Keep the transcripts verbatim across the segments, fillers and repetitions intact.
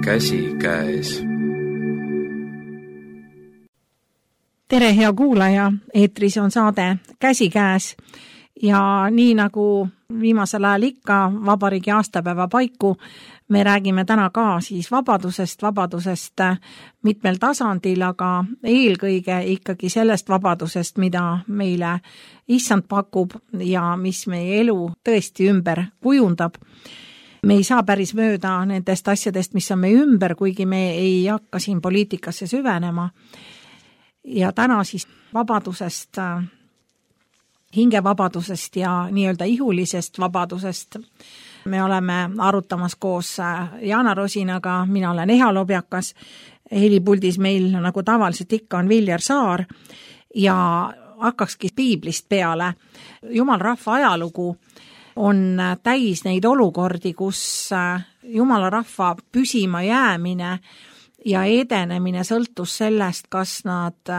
käsikäes. Tere, hea kuulaja, eetris on saade Käsikäes ja nii nagu viimasel ajal ikka vabariigi aastapäeva paiku me räägime täna ka siis vabadusest, vabadusest mitmel tasandil, aga eelkõige ikkagi sellest vabadusest, mida meile issand pakub ja mis meie elu tõesti ümber kujundab. Me ei saa päris mööda nendest asjadest, mis on meie ümber, kuigi me ei hakka siin poliitikasse süvenema. Ja täna siis vabadusest, hingevabadusest ja nii-öelda ihulisest vabadusest me oleme arutamas koos Jaana Rosinaga, mina olen Eha Lobjakas, helipuldis meil nagu tavaliselt ikka on Viljar Saar ja hakkakski piiblist peale. Jumal rahva ajalugu on täis neid olukordi, kus Jumala rahva püsima jäämine ja edenemine sõltus sellest, kas nad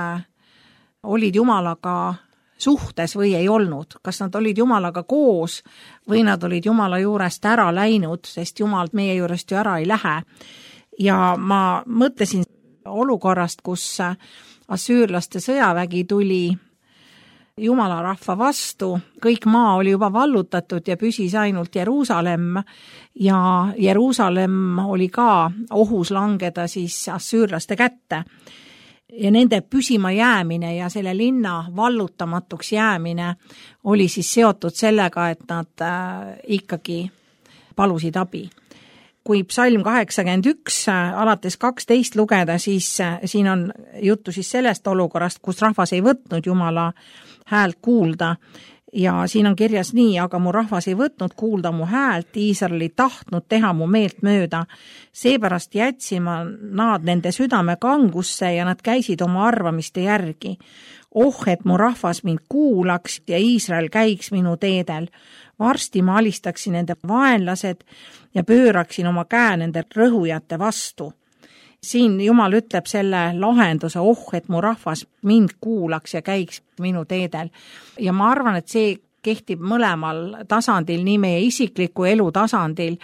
olid Jumalaga suhtes või ei olnud, kas nad olid Jumalaga koos või nad olid Jumala juurest ära läinud, sest Jumal meie juurest ju ära ei lähe. Ja ma mõtlesin olukorrast, kus assüürlaste sõjavägi tuli Jumala rahva vastu, kõik maa oli juba vallutatud ja püsis ainult Jeruusalemm ja Jeruusalemm oli ka ohus langeda siis assüürlaste kätte. Ja nende püsima jäämine ja selle linna vallutamatuks jäämine oli siis seotud sellega, et nad ikkagi palusid abi. Kui psalm kaheksakümmend üks alates kaksteist lugeda, siis siin on juttu siis sellest olukorrast, kus rahvas ei võtnud Jumala häält kuulda. Ja siin on kirjas nii, aga mu rahvas ei võtnud kuulda mu häält, Iisrael ei tahtnud teha mu meelt mööda. Seepärast jätsin ma nad nende südame kangusse ja nad käisid oma arvamiste järgi. Oh, et mu rahvas mind kuulaks ja Iisrael käiks minu teedel. Varsti ma alistaksin nende vaenlased ja pööraksin oma käe nende rõhujate vastu. Siin Jumal ütleb selle lahenduse, oh, et mu rahvas mind kuulaks ja käiks minu teedel. Ja ma arvan, et see kehtib mõlemal tasandil, nii meie isikliku elu tasandil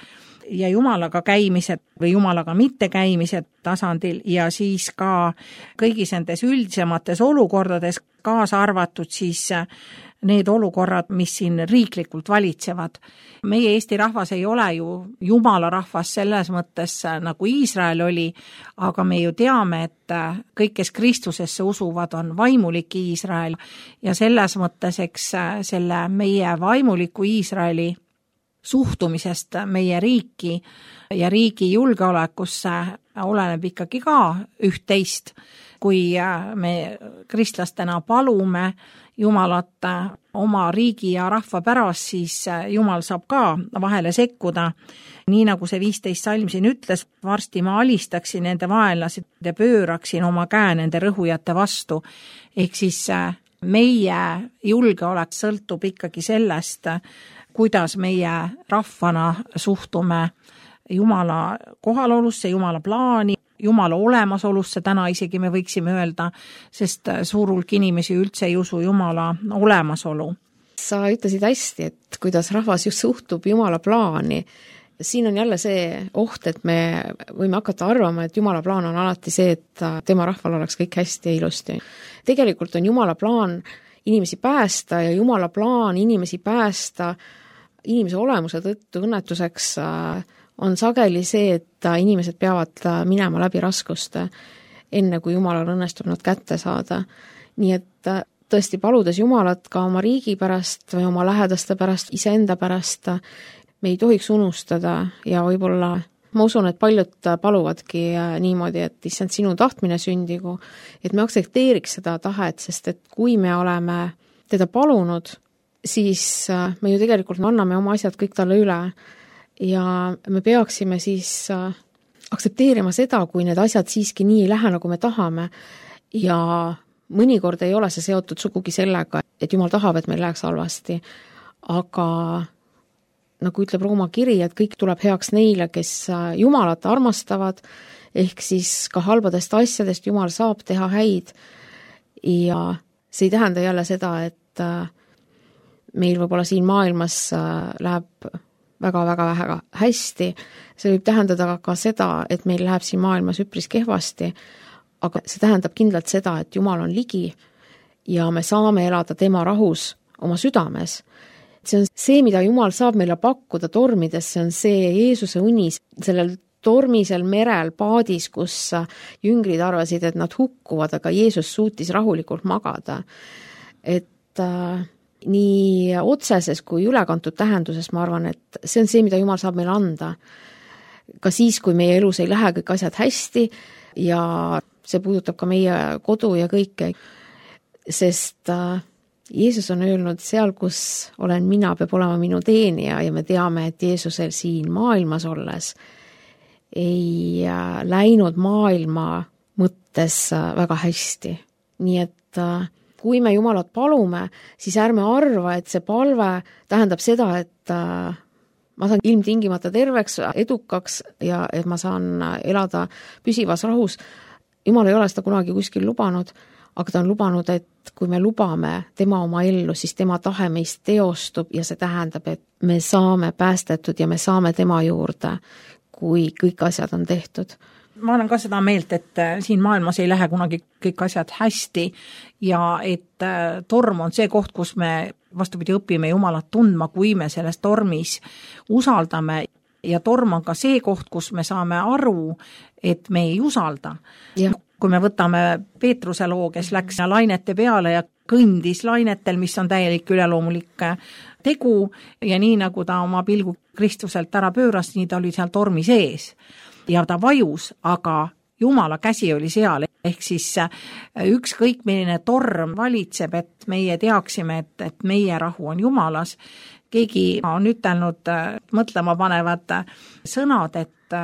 ja Jumalaga käimised või Jumalaga mitte käimised tasandil ja siis ka kõigis nendes üldisemates olukordades kaasa arvatud siis need olukorrad, mis siin riiklikult valitsevad. Meie Eesti rahvas ei ole ju Jumala rahvas selles mõttes nagu Iisrael oli, aga me ju teame, et kõik, kes Kristusesse usuvad, on vaimulik Iisrael ja selles mõttes, eks selle meie vaimuliku Iisraeli suhtumisest meie riiki ja riigi julgeolekusse oleneb ikkagi ka üht-teist, kui me kristlastena palume Jumalat oma riigi ja rahva pärast, siis Jumal saab ka vahele sekkuda. Nii nagu see viisteist salm siin ütles, varsti ma alistaksin nende vaenlased ja pööraksin oma käe nende rõhujate vastu. Ehk siis meie julgeolek sõltub ikkagi sellest, kuidas meie rahvana suhtume Jumala kohalolusse, Jumala plaani, Jumala olemasolusse, täna isegi me võiksime öelda, sest suur hulk inimesi üldse ei usu Jumala olemasolu. Sa ütlesid hästi, et kuidas rahvas just suhtub Jumala plaani. Siin on jälle see oht, et me võime hakata arvama, et Jumala plaan on alati see, et tema rahval oleks kõik hästi ja ilusti. Tegelikult on Jumala plaan inimesi päästa ja Jumala plaan inimesi päästa inimese olemuse tõttu õnnetuseks on sageli see, et inimesed peavad minema läbi raskuste, enne kui Jumalal õnnestub nad kätte saada. Nii et tõesti paludes Jumalat ka oma riigi pärast või oma lähedaste pärast, iseenda pärast, me ei tohiks unustada ja võib-olla ma usun, et paljud paluvadki niimoodi, et issand sinu tahtmine sündigu, et me aktsepteeriks seda tahet, sest et kui me oleme teda palunud, siis me ju tegelikult anname oma asjad kõik talle üle. Ja me peaksime siis aktsepteerima seda, kui need asjad siiski nii ei lähe, nagu me tahame ja mõnikord ei ole see seotud sugugi sellega, et Jumal tahab, et meil läheks halvasti, aga nagu ütleb Rooma kiri, et kõik tuleb heaks neile, kes Jumalat armastavad, ehk siis ka halbadest asjadest Jumal saab teha häid ja see ei tähenda jälle seda, et meil võib-olla siin maailmas läheb väga-väga hästi, see võib tähendada ka seda, et meil läheb siin maailmas üpris kehvasti, aga see tähendab kindlalt seda, et Jumal on ligi ja me saame elada tema rahus oma südames. See on see, mida Jumal saab meile pakkuda tormides, see on see Jeesuse unis, sellel tormisel merel paadis, kus jüngrid arvasid, et nad hukkuvad, aga Jeesus suutis rahulikult magada. Et äh, nii otseses kui ülekantud tähenduses ma arvan, et see on see, mida Jumal saab meile anda. Ka siis, kui meie elus ei lähe kõik asjad hästi ja see puudutab ka meie kodu ja kõike, sest äh, Jeesus on öelnud, seal, kus olen mina, peab olema minu teenija ja me teame, et Jeesusel siin maailmas olles ei äh, läinud maailma mõttes äh, väga hästi. Nii et äh, kui me Jumalat palume, siis ärme arva, et see palve tähendab seda, et äh, ma saan ilmtingimata terveks, edukaks ja et ma saan elada püsivas rahus. Jumal ei ole seda kunagi kuskil lubanud, aga ta on lubanud, et kui me lubame tema oma ellu, siis tema tahe meist teostub ja see tähendab, et me saame päästetud ja me saame tema juurde, kui kõik asjad on tehtud. Ma olen ka seda meelt, et siin maailmas ei lähe kunagi kõik asjad hästi ja et torm on see koht, kus me vastupidi õpime Jumalat tundma, kui me selles tormis usaldame. Ja torm on ka see koht, kus me saame aru, et me ei usalda. Ja. Kui me võtame Peetruse loo, kes läks lainete peale ja kõndis lainetel, mis on täielik üleloomulik tegu ja nii nagu ta oma pilgu Kristuselt ära pööras, nii ta oli seal tormi sees ja ta vajus, aga Jumala käsi oli seal, ehk siis ükskõik milline torm valitseb, et meie teaksime, et, et meie rahu on Jumalas. Keegi on ütelnud mõtlema panevad sõnad, et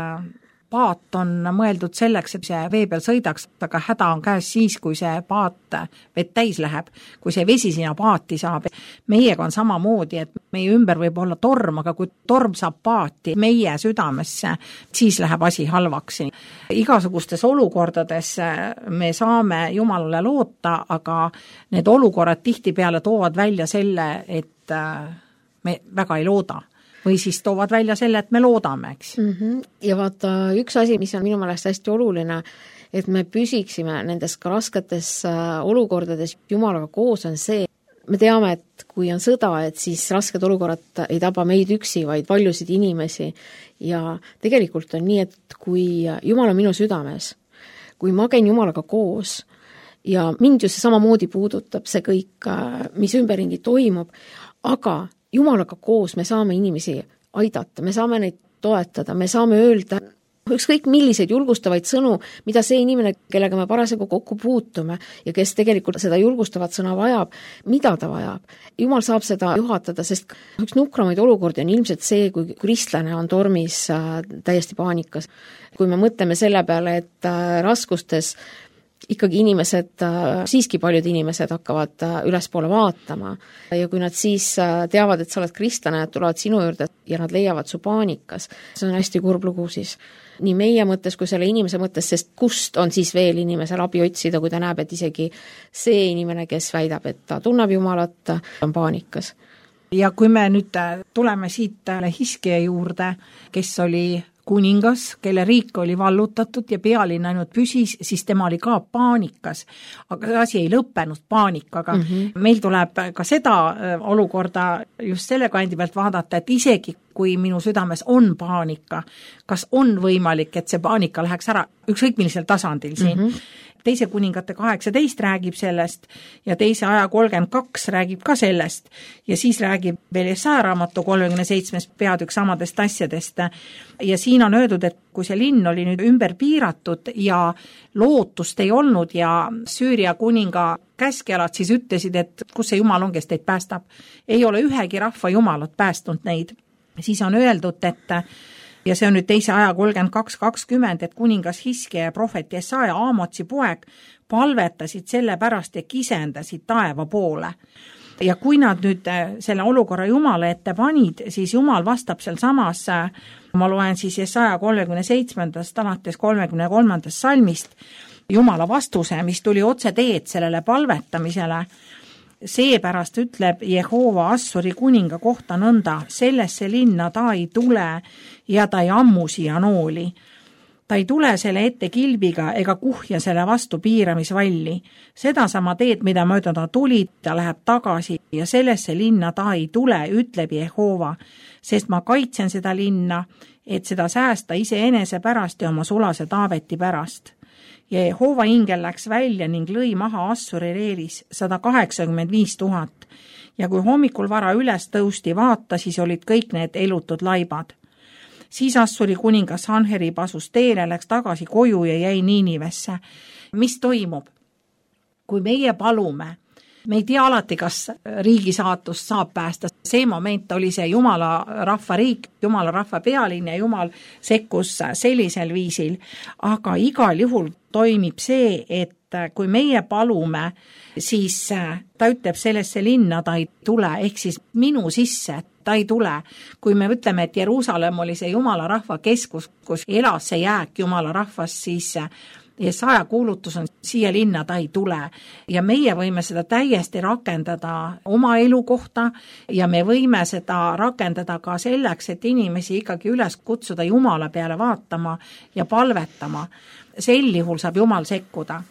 paat on mõeldud selleks, et see vee peal sõidaks, aga häda on käes siis, kui see paat vett täis läheb, kui see vesi sinna paati saab. Meiega on samamoodi, et meie ümber võib olla torm, aga kui torm saab paati meie südamesse, siis läheb asi halvaks. Igasugustes olukordades me saame Jumalale loota, aga need olukorrad tihtipeale toovad välja selle, et me väga ei looda. Või siis toovad välja selle, et me loodame, eks. Mm-hmm. Ja vaata, üks asi, mis on minu meelest hästi oluline, et me püsiksime nendes ka rasketes olukordades Jumalaga koos on see, me teame, et kui on sõda, et siis rasked olukorrad ei taba meid üksi, vaid paljusid inimesi ja tegelikult on nii, et kui Jumal on minu südames, kui ma käin Jumalaga koos ja mind ju see samamoodi puudutab see kõik, mis ümberringi toimub, aga Jumalaga koos me saame inimesi aidata, me saame neid toetada, me saame öelda ükskõik milliseid julgustavaid sõnu, mida see inimene, kellega me parasjagu kokku puutume ja kes tegelikult seda julgustavat sõna vajab, mida ta vajab. Jumal saab seda juhatada, sest üks nukramaid olukordi on ilmselt see, kui kristlane on tormis täiesti paanikas. Kui me mõtleme selle peale, et raskustes ikkagi inimesed, siiski paljud inimesed hakkavad ülespoole vaatama ja kui nad siis teavad, et sa oled kristlane, et tulevad sinu juurde ja nad leiavad su paanikas, see on hästi kurb lugu siis. Nii meie mõttes kui selle inimese mõttes, sest kust on siis veel inimesel abi otsida, kui ta näeb, et isegi see inimene, kes väidab, et ta tunneb Jumalat, on paanikas. Ja kui me nüüd tuleme siit Hiskia juurde, kes oli kuningas, kelle riik oli vallutatud ja pealinn ainult püsis, siis tema oli ka paanikas. Aga see asi ei lõppenud paanikaga. Mm-hmm. Meil tuleb ka seda olukorda just selle kandi pealt vaadata, et isegi kui minu südames on paanika, kas on võimalik, et see paanika läheks ära ükskõik millisel tasandil siin. Mm-hmm. Teise kuningate kaheksateist räägib sellest ja teise aja kolmkümmend kaks räägib ka sellest ja siis räägib veel Jesaja raamatu kolmekümne seitsmes peatükk samadest asjadest. Ja siin on öeldud, et kui see linn oli nüüd ümber piiratud ja lootust ei olnud ja Süüria kuninga käskjalad siis ütlesid, et kus see Jumal on, kes teid päästab. Ei ole ühegi rahva Jumalat päästnud neid. Siis on öeldud, et ja see on nüüd teise aja kolmkümmend kaks kakskümmend, et kuningas Hiskia ja prohvet Jesaja Aamotsi poeg palvetasid selle pärast ja kisendasid taeva poole. Ja kui nad nüüd selle olukorra Jumala ette panid, siis Jumal vastab seal samas, ma loen siis Jesaja kolmekümne seitsmendast alates kolmekümne kolmandast salmist, Jumala vastuse, mis tuli otse teed sellele palvetamisele. seepärast ütleb Jehova Assuri kuninga kohta nõnda, sellesse linna ta ei tule ja ta ei ammu siia nooli. Ta ei tule selle ette kilbiga ega kuhja selle vastu piiramisvalli. Seda sama teed, mida mööda ta tuli, ta läheb tagasi ja sellesse linna ta ei tule, ütleb Jehova, sest ma kaitsen seda linna, et seda säästa iseenese pärast ja oma sulase Taaveti pärast. Ja Jehova ingel läks välja ning lõi maha Assuri reelis sada kaheksakümmend viis tuhat. Ja kui hommikul vara üles tõusti vaata, siis olid kõik need elutud laibad. Siis Assuri kuningas Sanherib asus teele, läks tagasi koju ja jäi Niinivesse. Mis toimub? Kui meie palume, me ei tea alati, kas riigi saatust saab päästa. See moment oli see Jumala rahva riik, Jumala rahva pealinn ja Jumal sekkus sellisel viisil. Aga igal juhul toimib see, et kui meie palume, siis ta ütleb sellesse linna, ta ei tule, ehk siis minu sisse, ta ei tule. Kui me ütleme, et Jeruusalemm oli see Jumala rahva keskus, kus elas see jääk Jumala rahvas, siis Jesaja kuulutus on siia linna, ta ei tule. Ja meie võime seda täiesti rakendada oma elu kohta ja me võime seda rakendada ka selleks, et inimesi ikkagi üles kutsuda Jumala peale vaatama ja palvetama. Sel juhul saab Jumal sekkuda.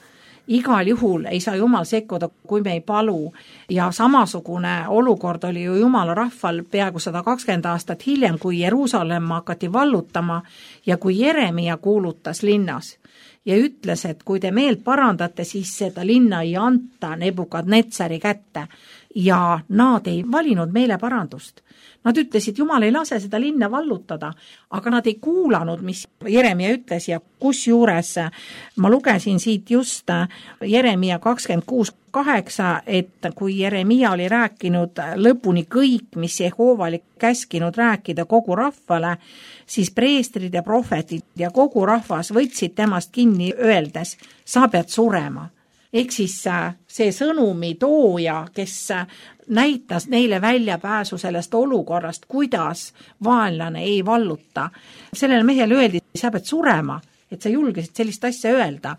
Igal juhul ei saa Jumal sekkuda, kui me ei palu. Ja samasugune olukord oli ju Jumala rahval peaaegu sada kakskümmend aastat hiljem, kui Jeruusalemma hakati vallutama ja kui Jeremia kuulutas linnas ja ütles, et kui te meelt parandate, siis seda linna ei anta Nebukadnetsari kätte. Ja nad ei valinud meele parandust. Nad ütlesid, Jumal ei lase seda linna vallutada, aga nad ei kuulanud, mis Jeremia ütles ja kus juures ma lugesin siit just Jeremia kakskümmend kuus kaheksa, et kui Jeremia oli rääkinud lõpuni kõik, mis Jehova oli käskinud rääkida kogu rahvale, siis preestrid ja prohvetid ja kogu rahvas võtsid temast kinni öeldes, sa pead surema. Ehk siis see sõnumi tooja, kes näitas neile väljapääsu sellest olukorrast, kuidas vaenlane ei valluta. Sellele mehele öeldi, sa pead surema, et sa julgesid sellist asja öelda.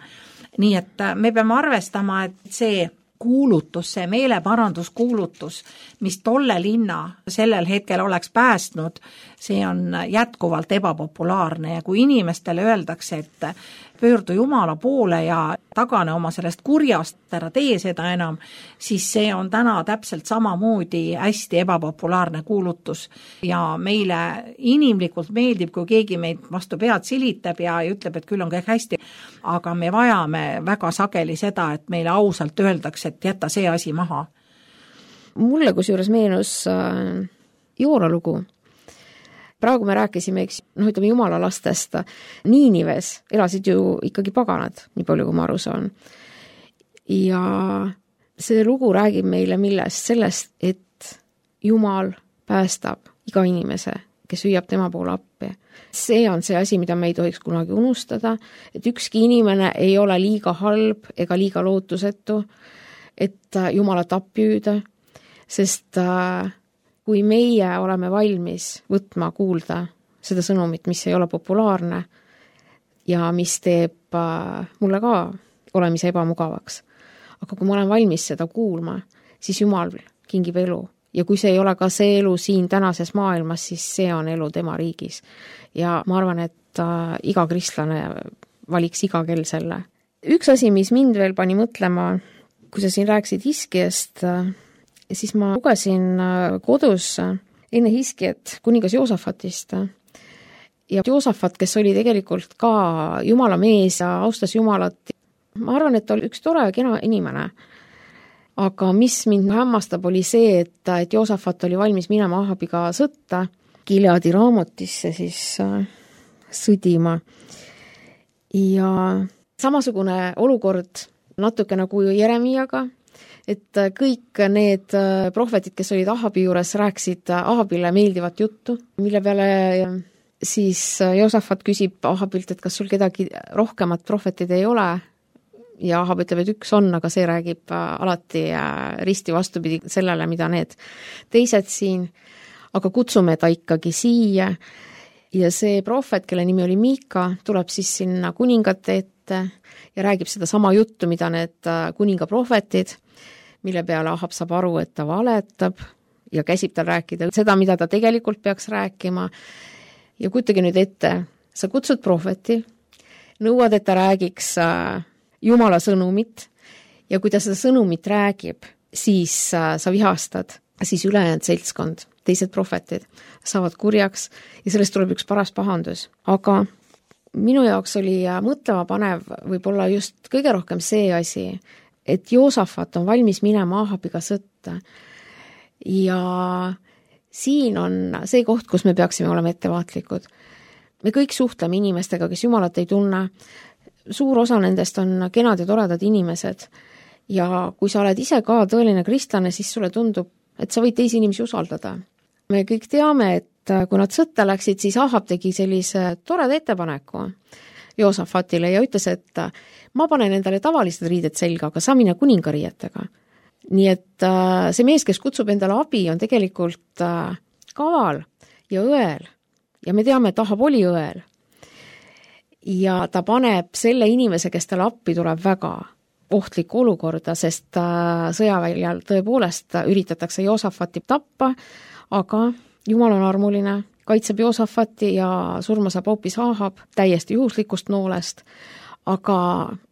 Nii et me peame arvestama, et see kuulutus, see meeleparanduskuulutus, mis tolle linna sellel hetkel oleks päästnud, see on jätkuvalt ebapopulaarne ja kui inimestele öeldakse, et pöördu Jumala poole ja tagane oma sellest kurjast, ära tee seda enam, siis see on täna täpselt samamoodi hästi ebapopulaarne kuulutus ja meile inimlikult meeldib, kui keegi meid vastu pead silitab ja ütleb, et küll on kõik hästi, aga me vajame väga sageli seda, et meile ausalt öeldakse, et jätta see asi maha. Mulle kusjuures meenus äh, Joora lugu. Praegu me rääkisime, eks, noh, ütleme Jumala lastest, Niinives elasid ju ikkagi paganad, nii palju kui ma aru saan. Ja see lugu räägib meile millest, sellest, et Jumal päästab iga inimese, kes hüüab tema poole appi. See on see asi, mida me ei tohiks kunagi unustada, et ükski inimene ei ole liiga halb ega liiga lootusetu, et Jumalat appi hüüda, sest kui meie oleme valmis võtma kuulda seda sõnumit, mis ei ole populaarne ja mis teeb mulle ka olemise ebamugavaks. Aga kui ma olen valmis seda kuulma, siis Jumal kingib elu. Ja kui see ei ole ka see elu siin tänases maailmas, siis see on elu tema riigis. Ja ma arvan, et iga kristlane valiks iga kell selle. Üks asi, mis mind veel pani mõtlema, kui sa siin rääksid Hiskiast, siis ma lugesin kodus enne Hiskiat kuningas Joosafatist. Ja Joosafat, kes oli tegelikult ka Jumala mees ja austas Jumalat, ma arvan, et ta oli üks tore ja kena inimene. Aga mis mind hämmastab oli see, et, et Joosafat oli valmis minema Ahabiga sõtta, Gileadi raamotisse siis äh, sõdima. Ja samasugune olukord natuke nagu Jeremiaga, et kõik need prohvetid, kes olid Ahabi juures, rääksid Ahabile meeldivat juttu, mille peale siis Joosafat küsib Ahabilt, et kas sul kedagi rohkemat prohvetid ei ole, ja Ahab ütleb, et üks on, aga see räägib alati risti vastupidi sellele, mida need teised siin, aga kutsume ta ikkagi siia ja see prohvet, kelle nimi oli Miika, tuleb siis sinna kuningate ette ja räägib seda sama juttu, mida need kuninga prohvetid, mille peale Ahab saab aru, et ta valetab ja käsib tal rääkida seda, mida ta tegelikult peaks rääkima. Ja kujutage nüüd ette, sa kutsud prohveti, nõuad, et ta räägiks Jumala sõnumit ja kui ta seda sõnumit räägib, siis sa vihastad, siis ülejäänud seltskond, teised prohvetid saavad kurjaks ja sellest tuleb üks paras pahandus. Aga minu jaoks oli mõtlema panev võib-olla just kõige rohkem see asi, et Joosafat on valmis minema Ahabiga sõtta. Ja siin on see koht, kus me peaksime olema ettevaatlikud. Me kõik suhtleme inimestega, kes Jumalat ei tunne. Suur osa nendest on kenad ja toredad inimesed. Ja kui sa oled ise ka tõeline kristlane, siis sulle tundub, et sa võid teisi inimesi usaldada. Me kõik teame, et kui nad sõtta läksid, siis Ahab tegi sellise toreda ettepaneku Joosafatile ja ütles, et ma panen endale tavalised riided selga, aga sa mine kuningariietega. Nii et see mees, kes kutsub endale abi, on tegelikult kaval ja õel. Ja me teame, et Ahab oli õel. Ja ta paneb selle inimese, kes talle appi tuleb väga ohtlikku olukorda, sest sõjaväljal tõepoolest üritatakse Joosafati tappa, aga Jumal on armuline, kaitseb Joosafati ja surma saab hoopis Ahab täiesti juhuslikust noolest. Aga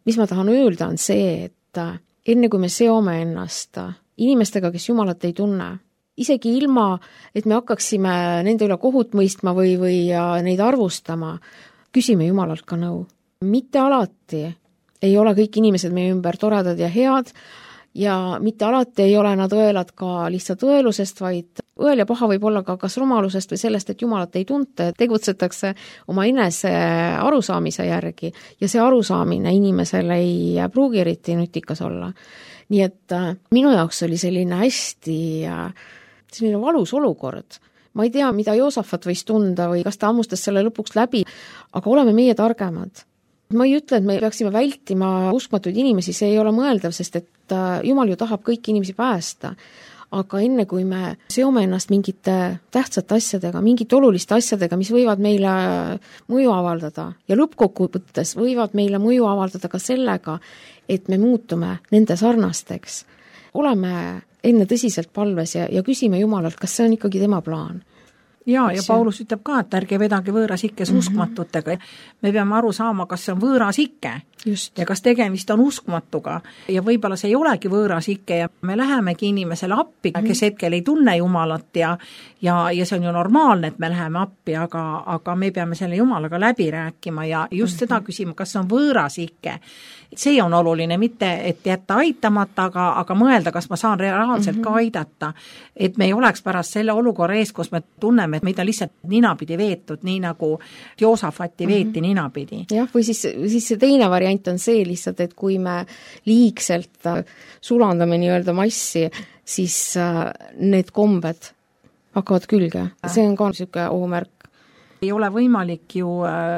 mis ma tahan öelda on see, et enne kui me seome ennast inimestega, kes Jumalat ei tunne, isegi ilma, et me hakkaksime nende üle kohut mõistma või, või neid arvustama, küsime Jumalalt ka nõu. Mitte alati ei ole kõik inimesed meie ümber toredad ja head ja mitte alati ei ole nad õelad ka lihtsalt õelusest, vaid õel ja paha võib olla ka kas rumalusest või sellest, et Jumalat ei tunta, tegutsetakse oma enese arusaamise järgi ja see arusaamine inimesele ei pruugi eriti nutikas olla. Nii et minu jaoks oli selline hästi selline valus olukord. Ma ei tea, mida Joosafat võis tunda või kas ta ammustas selle lõpuks läbi, aga oleme meie targemad. Ma ei ütle, et me peaksime vältima uskmatuid inimesi, see ei ole mõeldav, sest et Jumal ju tahab kõiki inimesi päästa. Aga enne kui me seome ennast mingite tähtsate asjadega, mingite oluliste asjadega, mis võivad meile mõju avaldada ja lõppkokkuvõttes võivad meile mõju avaldada ka sellega, et me muutume nende sarnasteks. Oleme enne tõsiselt palves ja, ja küsime Jumalalt, kas see on ikkagi tema plaan. Ja, ja Paulus ütleb ka, et ärge vedage võõras ikkes mm-hmm. uskmatutega. Me peame aru saama, kas see on võõras ikke Just. Ja kas tegemist on uskmatuga. Ja võib-olla see ei olegi võõras ikke ja me lähemegi inimesele appi, mm-hmm. kes hetkel ei tunne Jumalat ja, ja, ja see on ju normaalne, et me läheme appi, aga, aga me peame selle Jumalaga läbi rääkima ja just mm-hmm. seda küsima, kas see on võõras ikke. See on oluline, mitte et jätta aitamata, aga, aga mõelda, kas ma saan reaalselt mm-hmm. ka aidata. Et me ei oleks pärast selle olukorra ees, kus me tunneme, et meid on lihtsalt ninapidi veetud, nii nagu Joosafati veeti mm-hmm. ninapidi. Jah, või siis, siis see teine variant on see lihtsalt, et kui me liigselt sulandame nii-öelda massi, siis need kombed hakkavad külge. See on ka niisugune ohumärk. Ei ole võimalik ju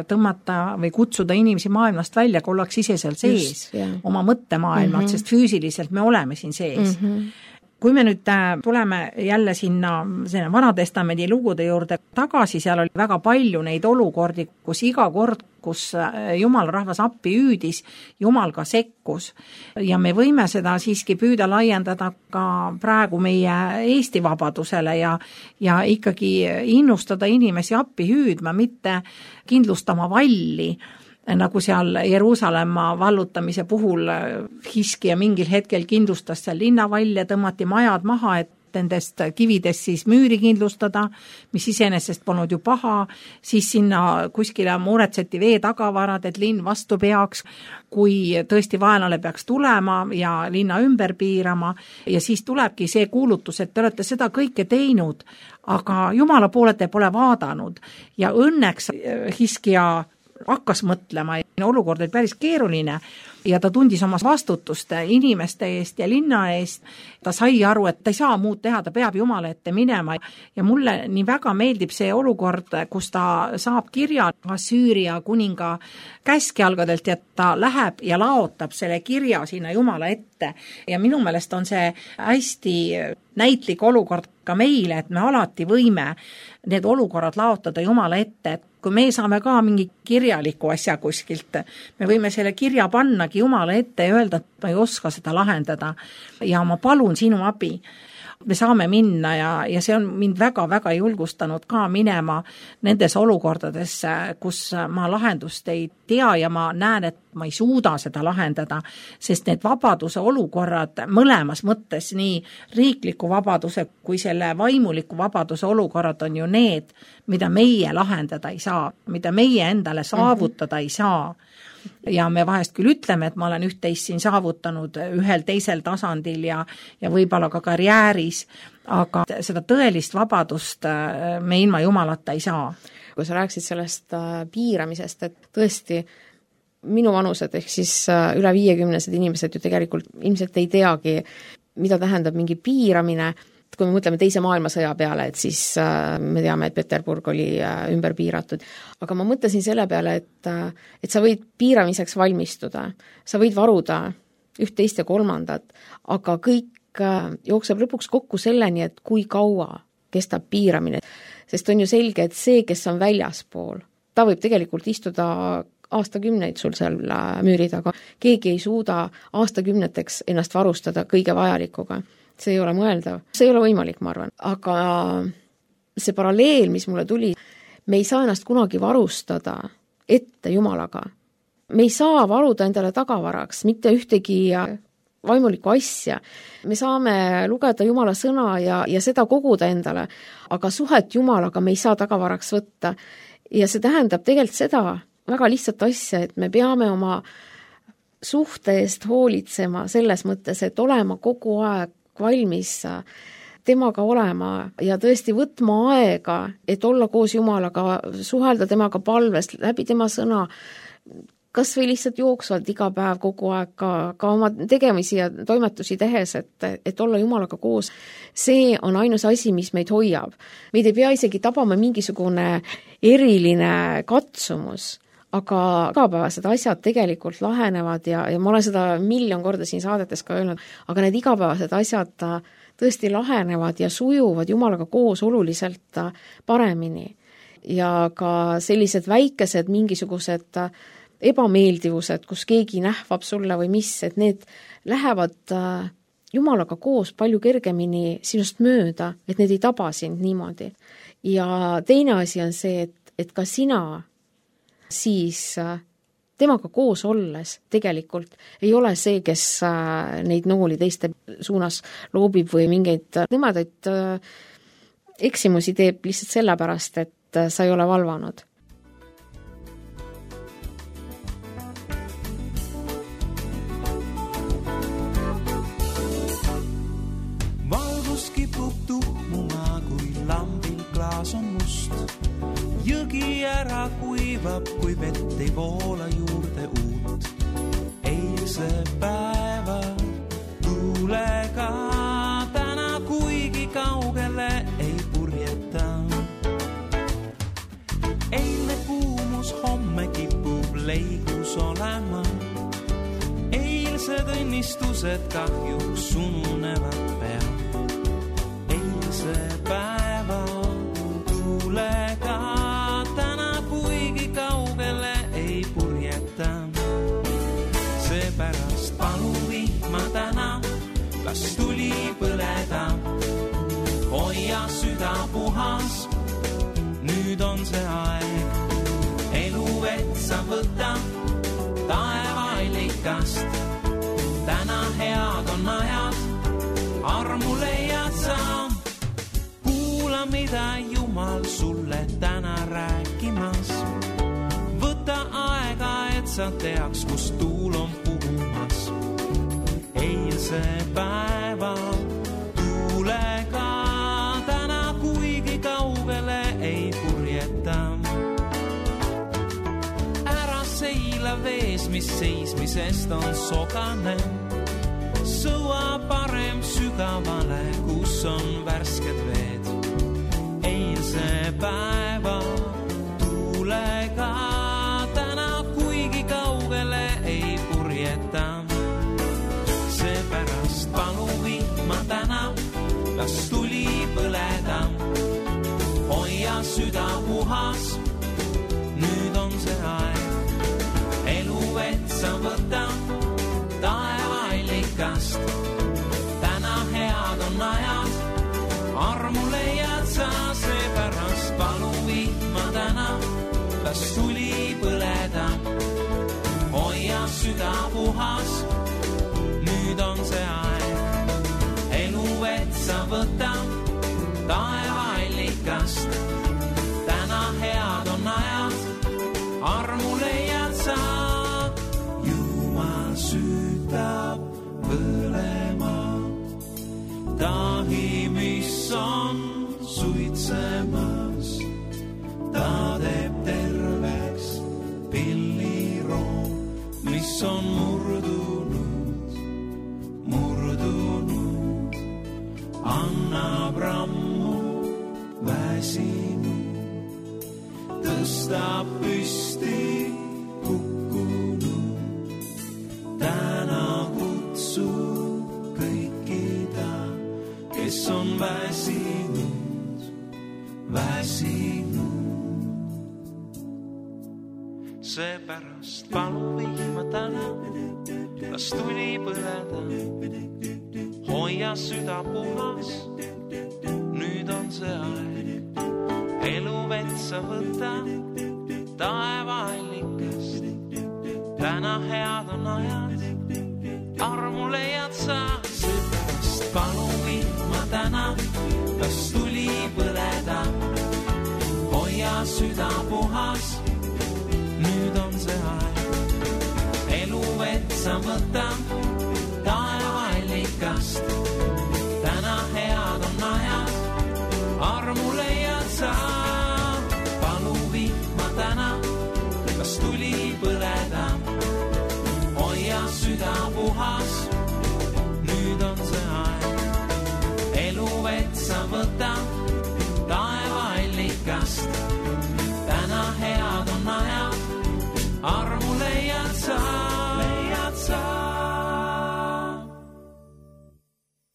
tõmmata või kutsuda inimesi maailmast välja, kui ollaks ise seal sees, Just, yeah. oma mõttemaailmad, mm-hmm. sest füüsiliselt me oleme siin sees. Mm-hmm. Kui me nüüd tuleme jälle sinna Vanatestamendi lugude juurde tagasi, seal oli väga palju neid olukordi, kus iga kord, kus Jumal rahvas appi hüüdis, Jumal ka sekkus. Ja me võime seda siiski püüda laiendada ka praegu meie Eesti vabadusele ja, ja ikkagi innustada inimesi appi hüüdma, mitte kindlustama valli, nagu seal Jeruusalemma vallutamise puhul Hiskija mingil hetkel kindlustas seal linnavall ja tõmmati majad maha, et nendest kividest siis müüri kindlustada, mis iseenesest polnud ju paha, siis sinna kuskile muretseti vee tagavarad, et linn vastu peaks, kui tõesti vaenlane peaks tulema ja linna ümber piirama ja siis tulebki see kuulutus, et te olete seda kõike teinud, aga Jumala poole te pole vaadanud ja õnneks Hiskija hakkas mõtlema ja olukord oli päris keeruline ja ta tundis oma vastutust inimeste eest ja linna eest. Ta sai aru, et ta ei saa muud teha, ta peab Jumala ette minema ja mulle nii väga meeldib see olukord, kus ta saab kirja Assüüria kuninga käskjalgadelt ja ta läheb ja laotab selle kirja sinna Jumala ette ja minu meelest on see hästi näitlik olukord ka meile, et me alati võime need olukorrad laotada Jumala ette, et kui me saame ka mingi kirjaliku asja kuskilt tegelikult me võime selle kirja pannagi Jumala ette ja öelda, et ma ei oska seda lahendada ja ma palun sinu abi. Me saame minna ja, ja see on mind väga-väga julgustanud ka minema nendes olukordades, kus ma lahendust ei tea ja ma näen, et ma ei suuda seda lahendada, sest need vabaduse olukorrad mõlemas mõttes, nii riikliku vabaduse kui selle vaimuliku vabaduse olukorrad on ju need, mida meie lahendada ei saa, mida meie endale saavutada ei saa. Ja me vahest küll ütleme, et ma olen üht-teist siin saavutanud ühel teisel tasandil ja, ja võib-olla ka karjääris, aga seda tõelist vabadust me ilma Jumalata ei saa. Kui sa rääksid sellest piiramisest, et tõesti minu vanused ehk siis üle viiekümnesed inimesed ju tegelikult ilmselt ei teagi, mida tähendab mingi piiramine. Kui me mõtleme teise maailmasõja peale, et siis me teame, et Peterburg oli ümber piiratud. Aga ma mõtlesin selle peale, et, et sa võid piiramiseks valmistuda, sa võid varuda üht, teist ja kolmandat, aga kõik jookseb lõpuks kokku selleni, et kui kaua kestab piiramine. Sest on ju selge, et see, kes on väljaspool, ta võib tegelikult istuda aastakümneid sul seal müüri taga. Keegi ei suuda aastakümneteks ennast varustada kõige vajalikuga. See ei ole mõeldav. See ei ole võimalik, ma arvan. Aga see paralleel, mis mulle tuli, me ei saa ennast kunagi varustada ette Jumalaga. Me ei saa varuda endale tagavaraks mitte ühtegi vaimulikku asja. Me saame lugeda Jumala sõna ja, ja seda koguda endale, aga suhet Jumalaga me ei saa tagavaraks võtta. Ja see tähendab tegelikult seda väga lihtsat asja, et me peame oma suhte eest hoolitsema selles mõttes, et olema kogu aeg valmis temaga olema ja tõesti võtma aega, et olla koos Jumalaga, suhelda temaga palves, läbi tema sõna, kas või lihtsalt jooksvalt iga päev kogu aeg ka, ka oma tegemisi ja toimetusi tehes, et, et olla Jumalaga koos. See on ainus asi, mis meid hoiab. Meid ei pea isegi tabama mingisugune eriline katsumus, aga igapäevased asjad tegelikult lahenevad ja, ja ma olen seda miljon korda siin saadetes ka öelnud, aga need igapäevased asjad tõesti lahenevad ja sujuvad Jumalaga koos oluliselt paremini. Ja ka sellised väikesed mingisugused ebameeldivused, kus keegi nähvab sulle või mis, et need lähevad Jumalaga koos palju kergemini sinust mööda, et need ei taba sind niimoodi. Ja teine asi on see, et, et ka sina siis temaga koos olles tegelikult ei ole see, kes neid nooli teiste suunas loobib või mingeid nõmedaid eksimusi teeb lihtsalt sellepärast, et sa ei ole valvanud. Valgus kipub tuhmuma, kui lambil klaas on must. Jõgi ära kuivab, kui vett ei voola juurde uut. Eilse päeva tuulega täna kuigi kaugele ei purjeta. Eilne kuumus homme kipub leigus olema. Eilsed õnnistused kahjuks ununevad pea. Eilse päeva tuulega seepärast palu vihma täna, las tuli põleda. Hoia süda puhas, nüüd on see aeg. Elu vetsa võta taevaillikast. Täna head on ajad, armu leiad sa. Kuula, mida Jumal sulle täna rääkimas. Võta aega, et sa teaks, kus tuul on puhumas. Eilse päeva tuulega täna kuigi kaugele ei purjeta. Ära seila vees, mis seismisest on sogane. Sõua parem sügavale, kus on värsked veed. Eilse päeva tuulega seepärast palu vihma täna, las tuli põleda. Hoia süda puhas, nüüd on see aeg. las tuli põleda, hoia süda puhas, nüüd on see aeg, elu vetsa võta, taevaallikast, täna head on ajad, armu leiad sa, Jumal süütab põlema, tahi, mis on suitsemas, ta teeb terveks pilliroo, mis on murdunud, murdunud, annab rammu väsinud, tõstab püsti hukkunud, täna kutsub kõikida, kes on väsinud, väsinud. Seepärast palu vihma täna, las tuli põleda, hoia süda puhas, nüüd on see aeg, elu vetsa võta, taevaallikast, täna head on ajad, armu leiad sa. Seepärast palu vihma täna, las tuli põleda, hoia süda puhas, nüüd on see aeg, elu vetsa võta, taevaallikast, täna head on ajad, armu leiad sa. Palu vihma täna, las tuli põleda, hoia süda puhas, nüüd on see aeg, elu vetsa võta, taevaallikast, täna head on ajad, armu leiad sa, leiad sa.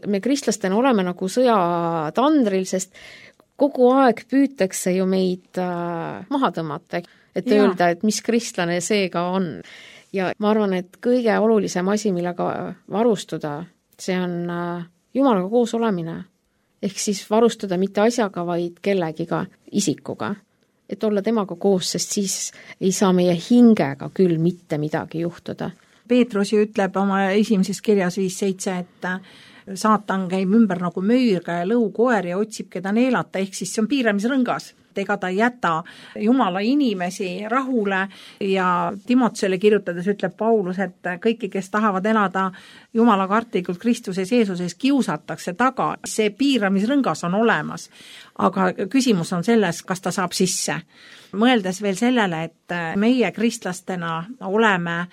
Me kristlastena oleme nagu sõjatandril, sest kogu aeg püütakse ju meid äh, maha tõmmata, et ja. Öelda, et mis kristlane see ka on. Ja ma arvan, et kõige olulisem asi, millega varustuda, see on äh, Jumalaga koos olemine. Ehk siis varustuda mitte asjaga, vaid kellegiga, isikuga. Et olla temaga koos, sest siis ei saa meie hingega küll mitte midagi juhtuda. Peetrus ju ütleb oma esimeses kirjas viis seitse, et saatan käib ümber nagu möürga ja lõukoer ja otsib keda neelata, ehk siis see on piiramisrõngas. Ega ta ei jäta Jumala inimesi rahule ja Timotsele kirjutades ütleb Paulus, et kõiki, kes tahavad elada Jumala kartlikult Kristuses Jeesuses, kiusatakse taga. See piiramisrõngas on olemas, aga küsimus on selles, kas ta saab sisse. Mõeldes veel sellele, et meie kristlastena oleme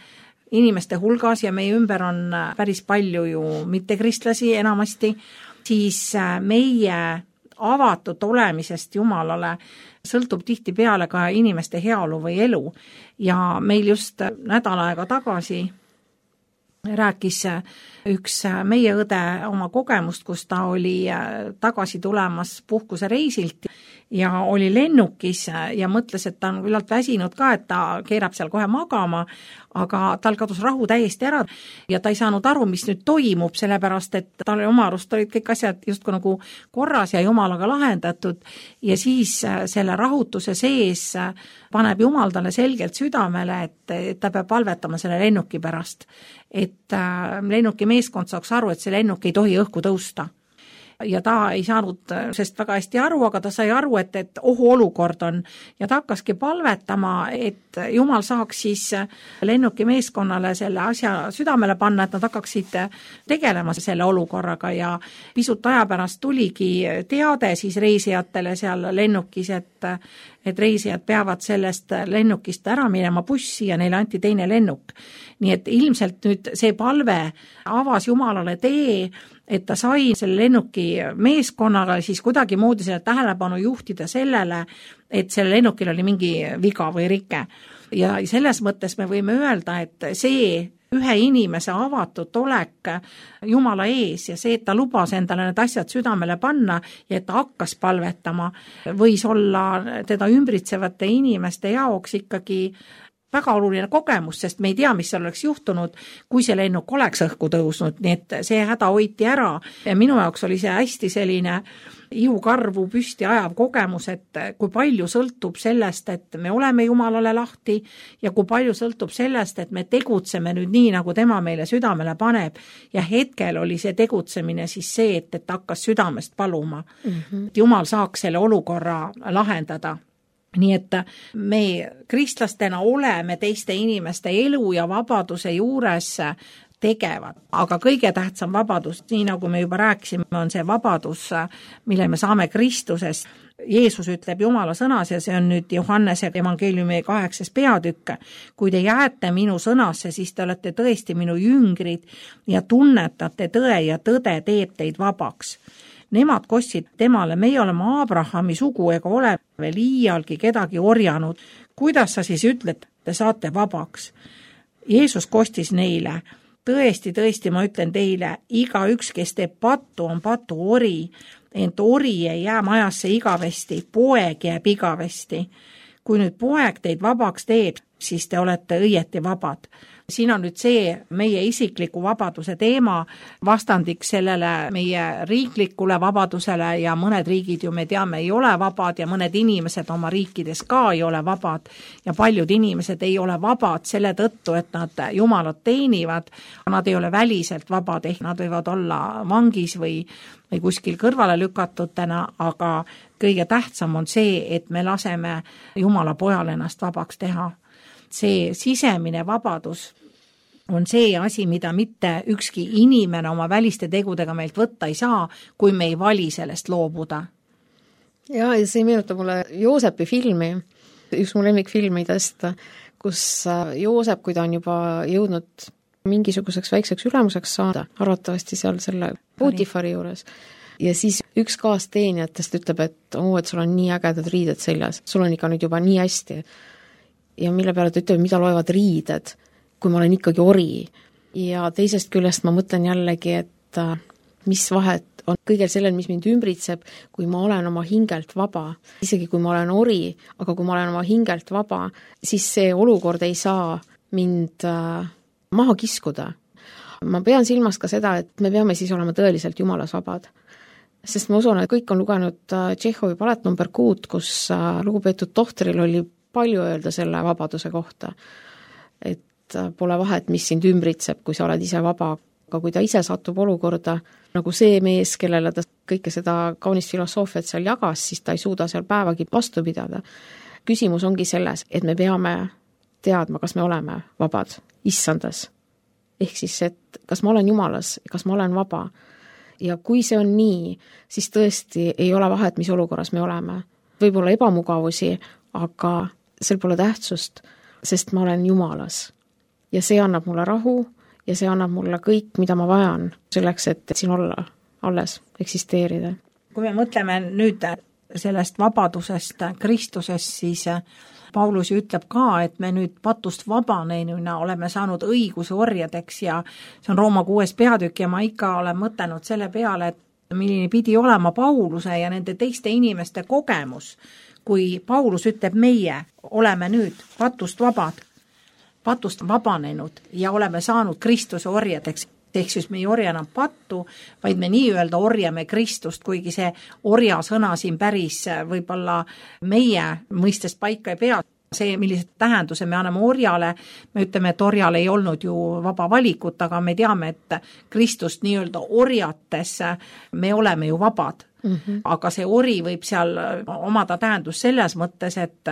inimeste hulgas ja meie ümber on päris palju ju mittekristlasi enamasti, siis meie avatud olemisest Jumalale sõltub tihti peale ka inimeste heaolu või elu. Ja meil just nädal aega tagasi rääkis üks meie õde oma kogemust, kus ta oli tagasi tulemas puhkusereisilt ja oli lennukis ja mõtles, et ta on küllalt väsinud ka, et ta keerab seal kohe magama, aga tal kadus rahu täiesti ära ja ta ei saanud aru, mis nüüd toimub, sellepärast, et tal oma arust olid kõik asjad justkui nagu korras ja Jumalaga lahendatud ja siis selle rahutuse sees paneb Jumal talle selgelt südamele, et ta peab palvetama selle lennuki pärast, et lennuki meeskond saaks aru, et see lennuk ei tohi õhku tõusta. Ja ta ei saanud sest väga hästi aru, aga ta sai aru, et, et ohu olukord on ja ta hakkaski palvetama, et Jumal saaks siis lennuki meeskonnale selle asja südamele panna, et nad hakkaksid tegelema selle olukorraga ja pisut aja pärast tuligi teade siis reisijatele seal lennukis, et, et reisijad peavad sellest lennukist ära minema bussi ja neile anti teine lennuk. Nii et ilmselt nüüd see palve avas Jumalale tee, et ta sai selle lennuki meeskonnaga siis kuidagi moodi selle tähelepanu juhtida sellele, et selle lennukil oli mingi viga või rike. Ja selles mõttes me võime öelda, et see ühe inimese avatud olek Jumala ees ja see, et ta lubas endale need asjad südamele panna ja et ta hakkas palvetama, võis olla teda ümbritsevate inimeste jaoks ikkagi väga oluline kogemus, sest me ei tea, mis seal oleks juhtunud, kui see lennuk oleks õhku tõusnud, nii et see häda hoiti ära ja minu jaoks oli see hästi selline ihukarvu püsti ajav kogemus, et kui palju sõltub sellest, et me oleme Jumalale lahti ja kui palju sõltub sellest, et me tegutseme nüüd nii, nagu tema meile südamele paneb ja hetkel oli see tegutsemine siis see, et, et hakkas südamest paluma. Mm-hmm. Jumal saaks selle olukorra lahendada. Nii et me kristlastena oleme teiste inimeste elu ja vabaduse juures tegevad, aga kõige tähtsam vabadus, nii nagu me juba rääkisime, on see vabadus, mille me saame Kristusest. Jeesus ütleb Jumala sõnas ja see on nüüd Johannese evangeeliumi kaheksas peatükk. Kui te jääte minu sõnasse, siis te olete tõesti minu jüngrid ja tunnetate tõe ja tõde teeb teid vabaks. Nemad kostsid temale, meie oleme Abrahami sugu ega ole veel iialgi kedagi orjanud. Kuidas sa siis ütled, te saate vabaks? Jeesus kostis neile, tõesti, tõesti, ma ütlen teile, iga üks, kes teeb pattu, on patu ori, ent ori ei jää majasse igavesti, poeg jääb igavesti. Kui nüüd poeg teid vabaks teeb, siis te olete õieti vabad. Siin on nüüd see meie isikliku vabaduse teema vastandiks sellele meie riiklikule vabadusele ja mõned riigid ju me teame ei ole vabad ja mõned inimesed oma riikides ka ei ole vabad ja paljud inimesed ei ole vabad selle tõttu, et nad Jumalat teenivad, nad ei ole väliselt vabad, ehk nad võivad olla vangis või, või kuskil kõrvale lükatutena, aga kõige tähtsam on see, et me laseme Jumala pojal ennast vabaks teha. See sisemine vabadus on see asi, mida mitte ükski inimene oma väliste tegudega meilt võtta ei saa, kui me ei vali sellest loobuda. Ja, ja see meenutab mulle Joosepi filmi, üks mu lemmikfilmidest, kus Joosep, kui ta on juba jõudnud mingisuguseks väikseks ülemuseks saada, arvatavasti seal selle Putifari juures, ja siis üks kaasteenijatest ütleb, et oo, et sul on nii ägedad riided seljas, sul on ikka nüüd juba nii hästi. Ja mille peale ta ütleb, mida loevad riided, kui ma olen ikkagi ori. Ja teisest küljest ma mõtlen jällegi, et mis vahet on kõigel sellel, mis mind ümbritseb, kui ma olen oma hingelt vaba. Isegi kui ma olen ori, aga kui ma olen oma hingelt vaba, siis see olukord ei saa mind maha kiskuda. Ma pean silmas ka seda, et me peame siis olema tõeliselt Jumalas vabad. Sest ma usun, et kõik on lugenud Tšehhovi palet number kuut, kus lugupeetud tohtril oli palju öelda selle vabaduse kohta. Et pole vahet, mis sind ümbritseb, kui sa oled ise vaba, aga kui ta ise satub olukorda, nagu see mees, kellele ta kõike seda kaunist filosoofiat seal jagas, siis ta ei suuda seal päevagi vastu pidada. Küsimus ongi selles, et me peame teadma, kas me oleme vabad issandas. Ehk siis, et kas ma olen Jumalas, kas ma olen vaba. Ja kui see on nii, siis tõesti ei ole vahet, mis olukorras me oleme. Võib-olla ebamugavusi, aga sel pole tähtsust, sest ma olen Jumalas. Ja see annab mulle rahu ja see annab mulle kõik, mida ma vajan selleks, et siin olla, alles eksisteerida. Kui me mõtleme nüüd sellest vabadusest Kristusest, siis Paulus ütleb ka, et me nüüd patust vabanenuna oleme saanud õiguse orjadeks ja see on Rooma kuues peatükk ja ma ikka olen mõtelnud selle peale, et milline pidi olema Pauluse ja nende teiste inimeste kogemus, kui Paulus ütleb, meie oleme nüüd patust vabad, patust vabanenud ja oleme saanud Kristuse orjadeks. Ehk siis me ei orja enam pattu, vaid me nii-öelda orjame Kristust, kuigi see orja sõna siin päris võib-olla meie mõistest paika ei pea. See, millised tähenduse me anname orjale, me ütleme, et orjal ei olnud ju vaba valikut, aga me teame, et Kristust nii-öelda orjates me oleme ju vabad. Mm-hmm. Aga see ori võib seal omada tähendus selles mõttes, et,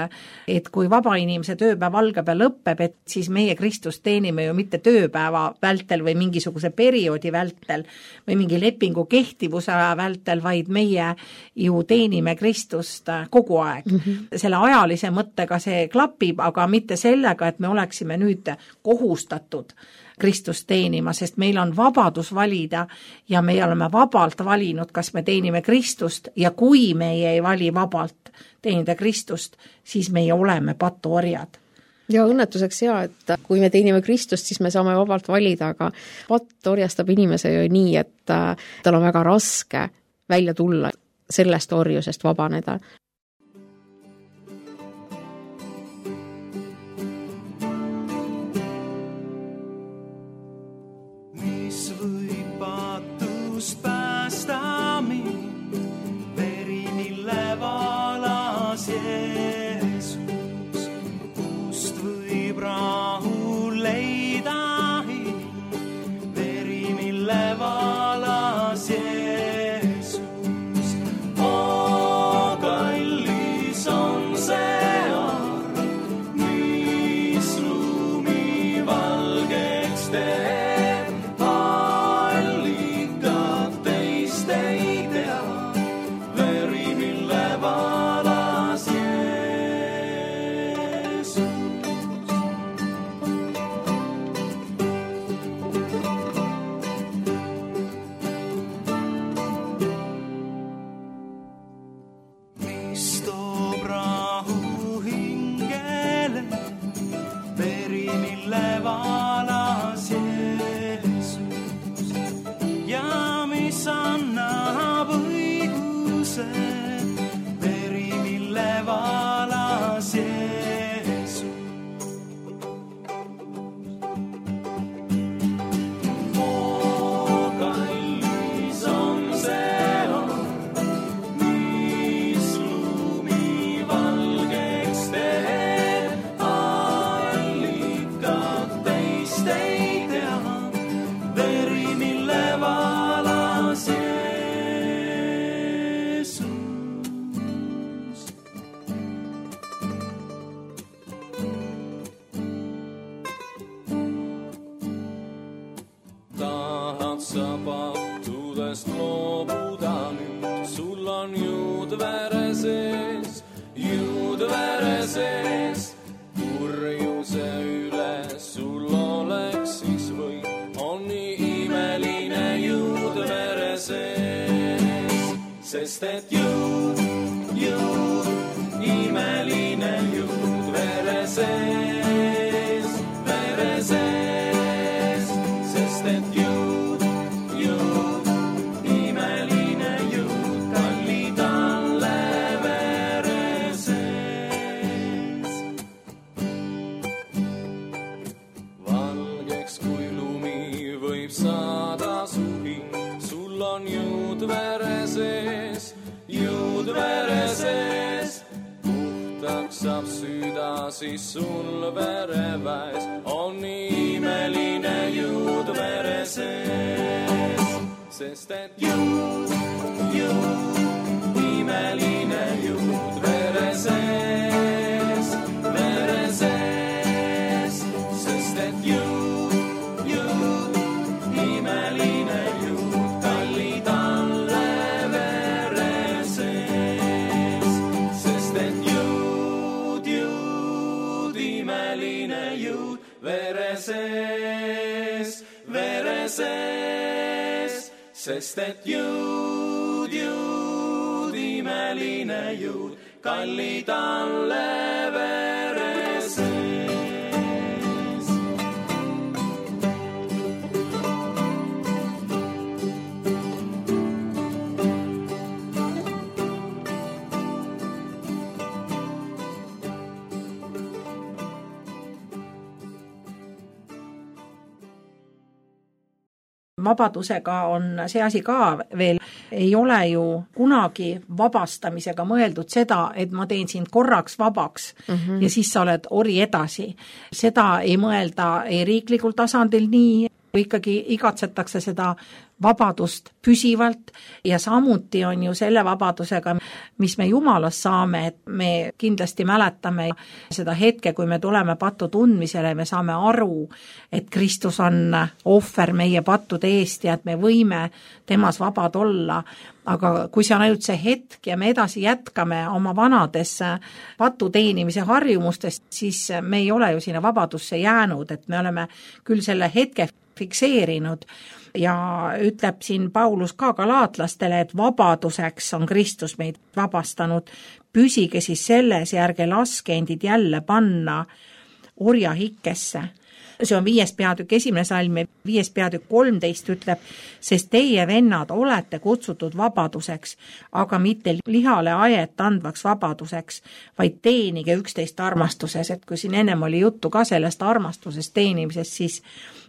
et kui vaba inimese tööpäev algab ja lõppeb, et siis meie Kristust teenime ju mitte tööpäeva vältel või mingisuguse perioodi vältel või mingi lepingu kehtivuse aja vältel, vaid meie ju teenime Kristust kogu aeg. Mm-hmm. Selle ajalise mõttega see klapib, aga mitte sellega, et me oleksime nüüd kohustatud Kristust teenima, sest meil on vabadus valida ja me oleme vabalt valinud, kas me teenime Kristust ja kui meie ei vali vabalt teenida Kristust, siis meie oleme patuorjad. Ja õnnetuseks hea, et kui me teenime Kristust, siis me saame vabalt valida, aga patt orjastab inimese ju nii, et tal on väga raske välja tulla sellest orjusest vabaneda. Sest et jõud, jõud, imeline jõud vere sees, vere sees. Sest et jõud, jõud, imeline jõud, kallid alle vere sees. Valgeks kui lumi võib saada su hing, sul on jõud vere sees. Jõud vere sees, puhtaks saab süda, siis sul vereväes on nii imeline jõud vere sees. Sest et jõud, jõud, imeline jõud vere sees, vere sees. Sest et jõud, jõud, imeline jõud, kallid alle vere sees, vere sees. Sest et jõud, jõud, imeline jõud, kallid alle vere sees. Vabadusega on see asi ka veel, ei ole ju kunagi vabastamisega mõeldud seda, et ma teen sind korraks vabaks mm -hmm. ja siis sa oled ori edasi. Seda ei mõelda ei riiklikul tasandil nii, ikkagi igatsetakse seda vabadust püsivalt ja samuti on ju selle vabadusega, mis me Jumalast saame, et me kindlasti mäletame seda hetke, kui me tuleme pattu tundmisele, me saame aru, et Kristus on ohver meie pattude eest ja et me võime temas vabad olla. Aga kui see on ainult see hetk ja me edasi jätkame oma vanades patu teenimise harjumustest, siis me ei ole ju sinna vabadusse jäänud, et me oleme küll selle hetke fikseerinud ja ütleb siin Paulus ka galaatlastele, et vabaduseks on Kristus meid vabastanud. Püsige siis selles ja ärge laske endid jälle panna orja hikkesse. See on viies peatükk esimene salm ja viies peatükk kolmteist ütleb, sest teie vennad olete kutsutud vabaduseks, aga mitte lihale ajet andvaks vabaduseks, vaid teenige üksteist armastuses. Et kui siin ennem oli juttu ka sellest armastusest teenimisest, siis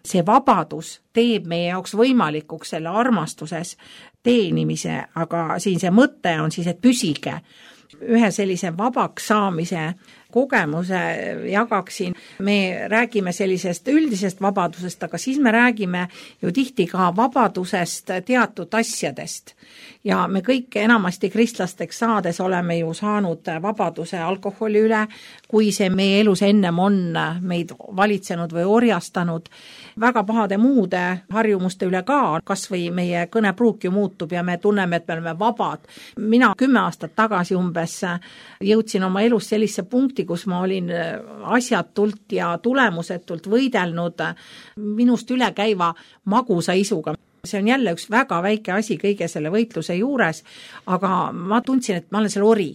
see vabadus teeb meie jaoks võimalikuks selle armastuses teenimise, aga siin see mõte on siis, et püsige. Ühe sellise vabaks saamise kogemuse jagaksin. Me räägime sellisest üldisest vabadusest, aga siis me räägime ju tihti ka vabadusest teatud asjadest. Ja me kõik enamasti kristlasteks saades oleme ju saanud vabaduse alkoholi üle kui see meie elus ennem on meid valitsenud või orjastanud, väga pahade muude harjumuste üle ka, kas või meie kõnepruuk ju muutub ja me tunneme, et me oleme vabad. Mina kümme aastat tagasi umbes jõudsin oma elus sellise punkti, kus ma olin asjatult ja tulemusetult võidelnud minust üle käiva magusa isuga. See on jälle üks väga väike asi kõige selle võitluse juures, aga ma tundsin, et ma olen selle ori.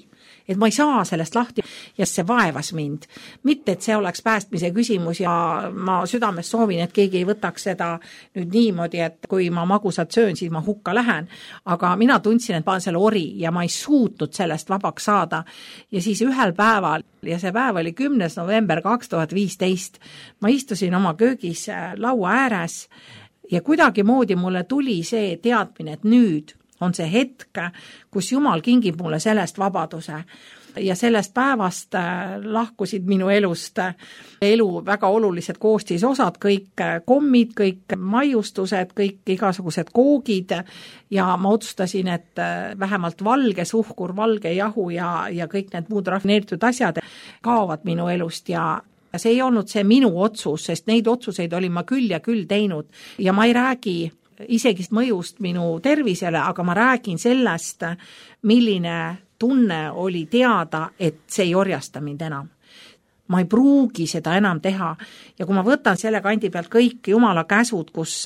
Et ma ei saa sellest lahti ja see vaevas mind. Mitte, et see oleks päästmise küsimus ja ma südames soovin, et keegi ei võtaks seda nüüd niimoodi, et kui ma magusat söön, siis ma hukka lähen. Aga mina tundsin, et ma olen selle ori ja ma ei suutnud sellest vabaks saada. Ja siis ühel päeval, ja see päev oli kümnes november kaks tuhat viisteist, ma istusin oma köögis laua ääres ja kuidagi moodi mulle tuli see teadmine, et nüüd on see hetk, kus Jumal kingib mulle sellest vabaduse. Ja sellest päevast lahkusid minu elust elu väga olulised koostisosad, kõik kommid, kõik maiustused, kõik igasugused koogid ja ma otsustasin, et vähemalt valge suhkur, valge jahu ja, ja kõik need muud rafineeritud asjad kaovad minu elust ja see ei olnud see minu otsus, sest neid otsuseid olin ma küll ja küll teinud ja ma ei räägi isegi mõjust minu tervisele, aga ma räägin sellest, milline tunne oli teada, et see ei orjasta mind enam. Ma ei pruugi seda enam teha ja kui ma võtan selle kandi pealt kõik Jumala käsud, kus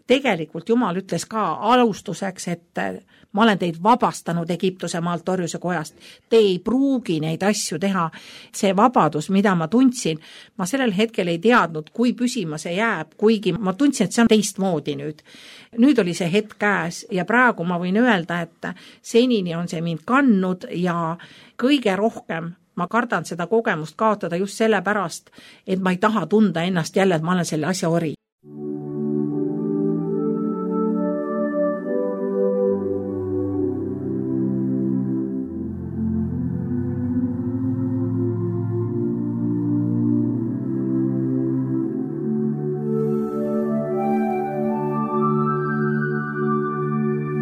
tegelikult Jumal ütles ka alustuseks, et ma olen teid vabastanud Egiptuse maalt orjuse kojast. Te ei pruugi neid asju teha. See vabadus, mida ma tundsin, ma sellel hetkel ei teadnud, kui püsima see jääb, kuigi ma tundsin, et see on teistmoodi nüüd. Nüüd oli see hetk käes ja praegu ma võin öelda, et senini on see mind kandnud ja kõige rohkem ma kardan seda kogemust kaotada just selle pärast, et ma ei taha tunda ennast jälle, et ma olen selle asja ori.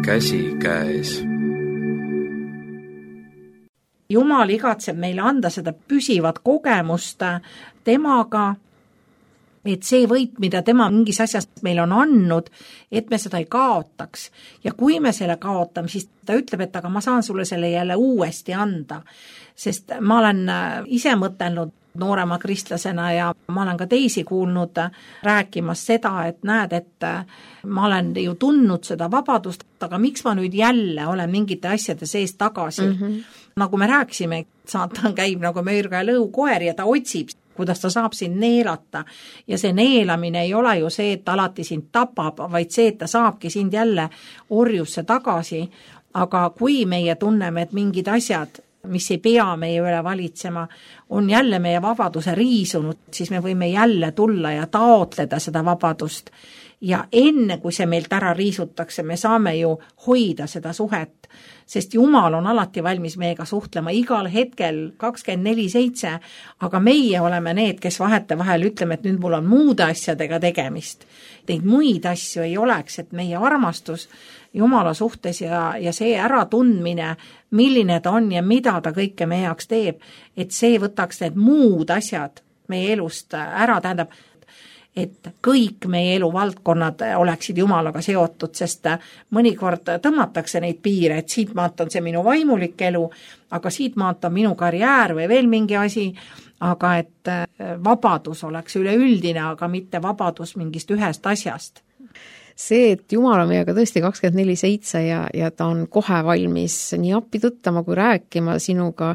Käsi käes. Jumal igatseb meile anda seda püsivat kogemust temaga, et see võit, mida tema mingis asjas meil on andnud, et me seda ei kaotaks. Ja kui me selle kaotame, siis ta ütleb, et aga ma saan sulle selle jälle uuesti anda. Sest ma olen ise mõtelnud noorema kristlasena ja ma olen ka teisi kuulnud rääkimas seda, et näed, et ma olen ju tundnud seda vabadust, aga miks ma nüüd jälle olen mingite asjade sees tagasi? Mm-hmm. Nagu me rääksime, saatan käib nagu möörga ja lõukoer ja ta otsib, kuidas ta saab sind neelata. Ja see neelamine ei ole ju see, et alati sind tapab, vaid see, et ta saabki sind jälle orjusse tagasi. Aga kui meie tunneme, et mingid asjad, mis ei pea meie üle valitsema, on jälle meie vabaduse riisunud, siis me võime jälle tulla ja taotleda seda vabadust. Ja enne, kui see meilt ära riisutakse, me saame ju hoida seda suhet, sest Jumal on alati valmis meiega suhtlema igal hetkel kakskümmend neli seitse, aga meie oleme need, kes vahete vahel ütleme, et nüüd mul on muude asjadega tegemist. Neid muid asju ei oleks, et meie armastus Jumala suhtes ja, ja see äratundmine, milline ta on ja mida ta kõike meie jaoks teeb, et see võtaks need muud asjad meie elust ära, tähendab, et kõik meie eluvaldkonnad oleksid Jumalaga seotud, sest mõnikord tõmmatakse neid piire, et siit maalt on see minu vaimulik elu, aga siit maalt on minu karjäär või veel mingi asi, aga et vabadus oleks üleüldine, aga mitte vabadus mingist ühest asjast. See, et Jumal on meiega tõesti kakskümmend neli seitse ja, ja ta on kohe valmis nii appi tõttama kui rääkima sinuga.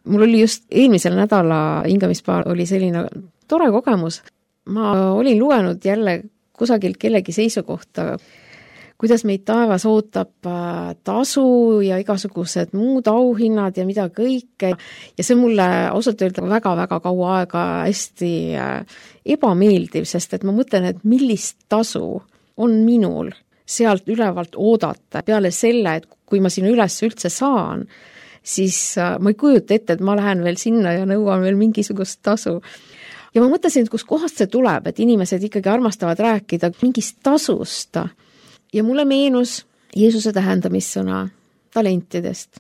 Mul oli just eelmisel nädala hingamispäeval oli selline tore kogemus. Ma olin lugenud jälle kusagilt kellegi seisukohta, kuidas meid taevas ootab tasu ja igasugused muud auhinnad ja mida kõike. Ja see mulle ausalt öelda väga-väga kaua aega hästi ebameeldiv, sest et ma mõtlen, et millist tasu on minul sealt ülevalt oodata peale selle, et kui ma sinna üles üldse saan, siis ma ei kujuta ette, et ma lähen veel sinna ja nõuan veel mingisugust tasu. Ja ma mõtlesin, et kus kohast see tuleb, et inimesed ikkagi armastavad rääkida mingist tasust. Ja mulle meenus Jeesuse tähendamissõna talentidest,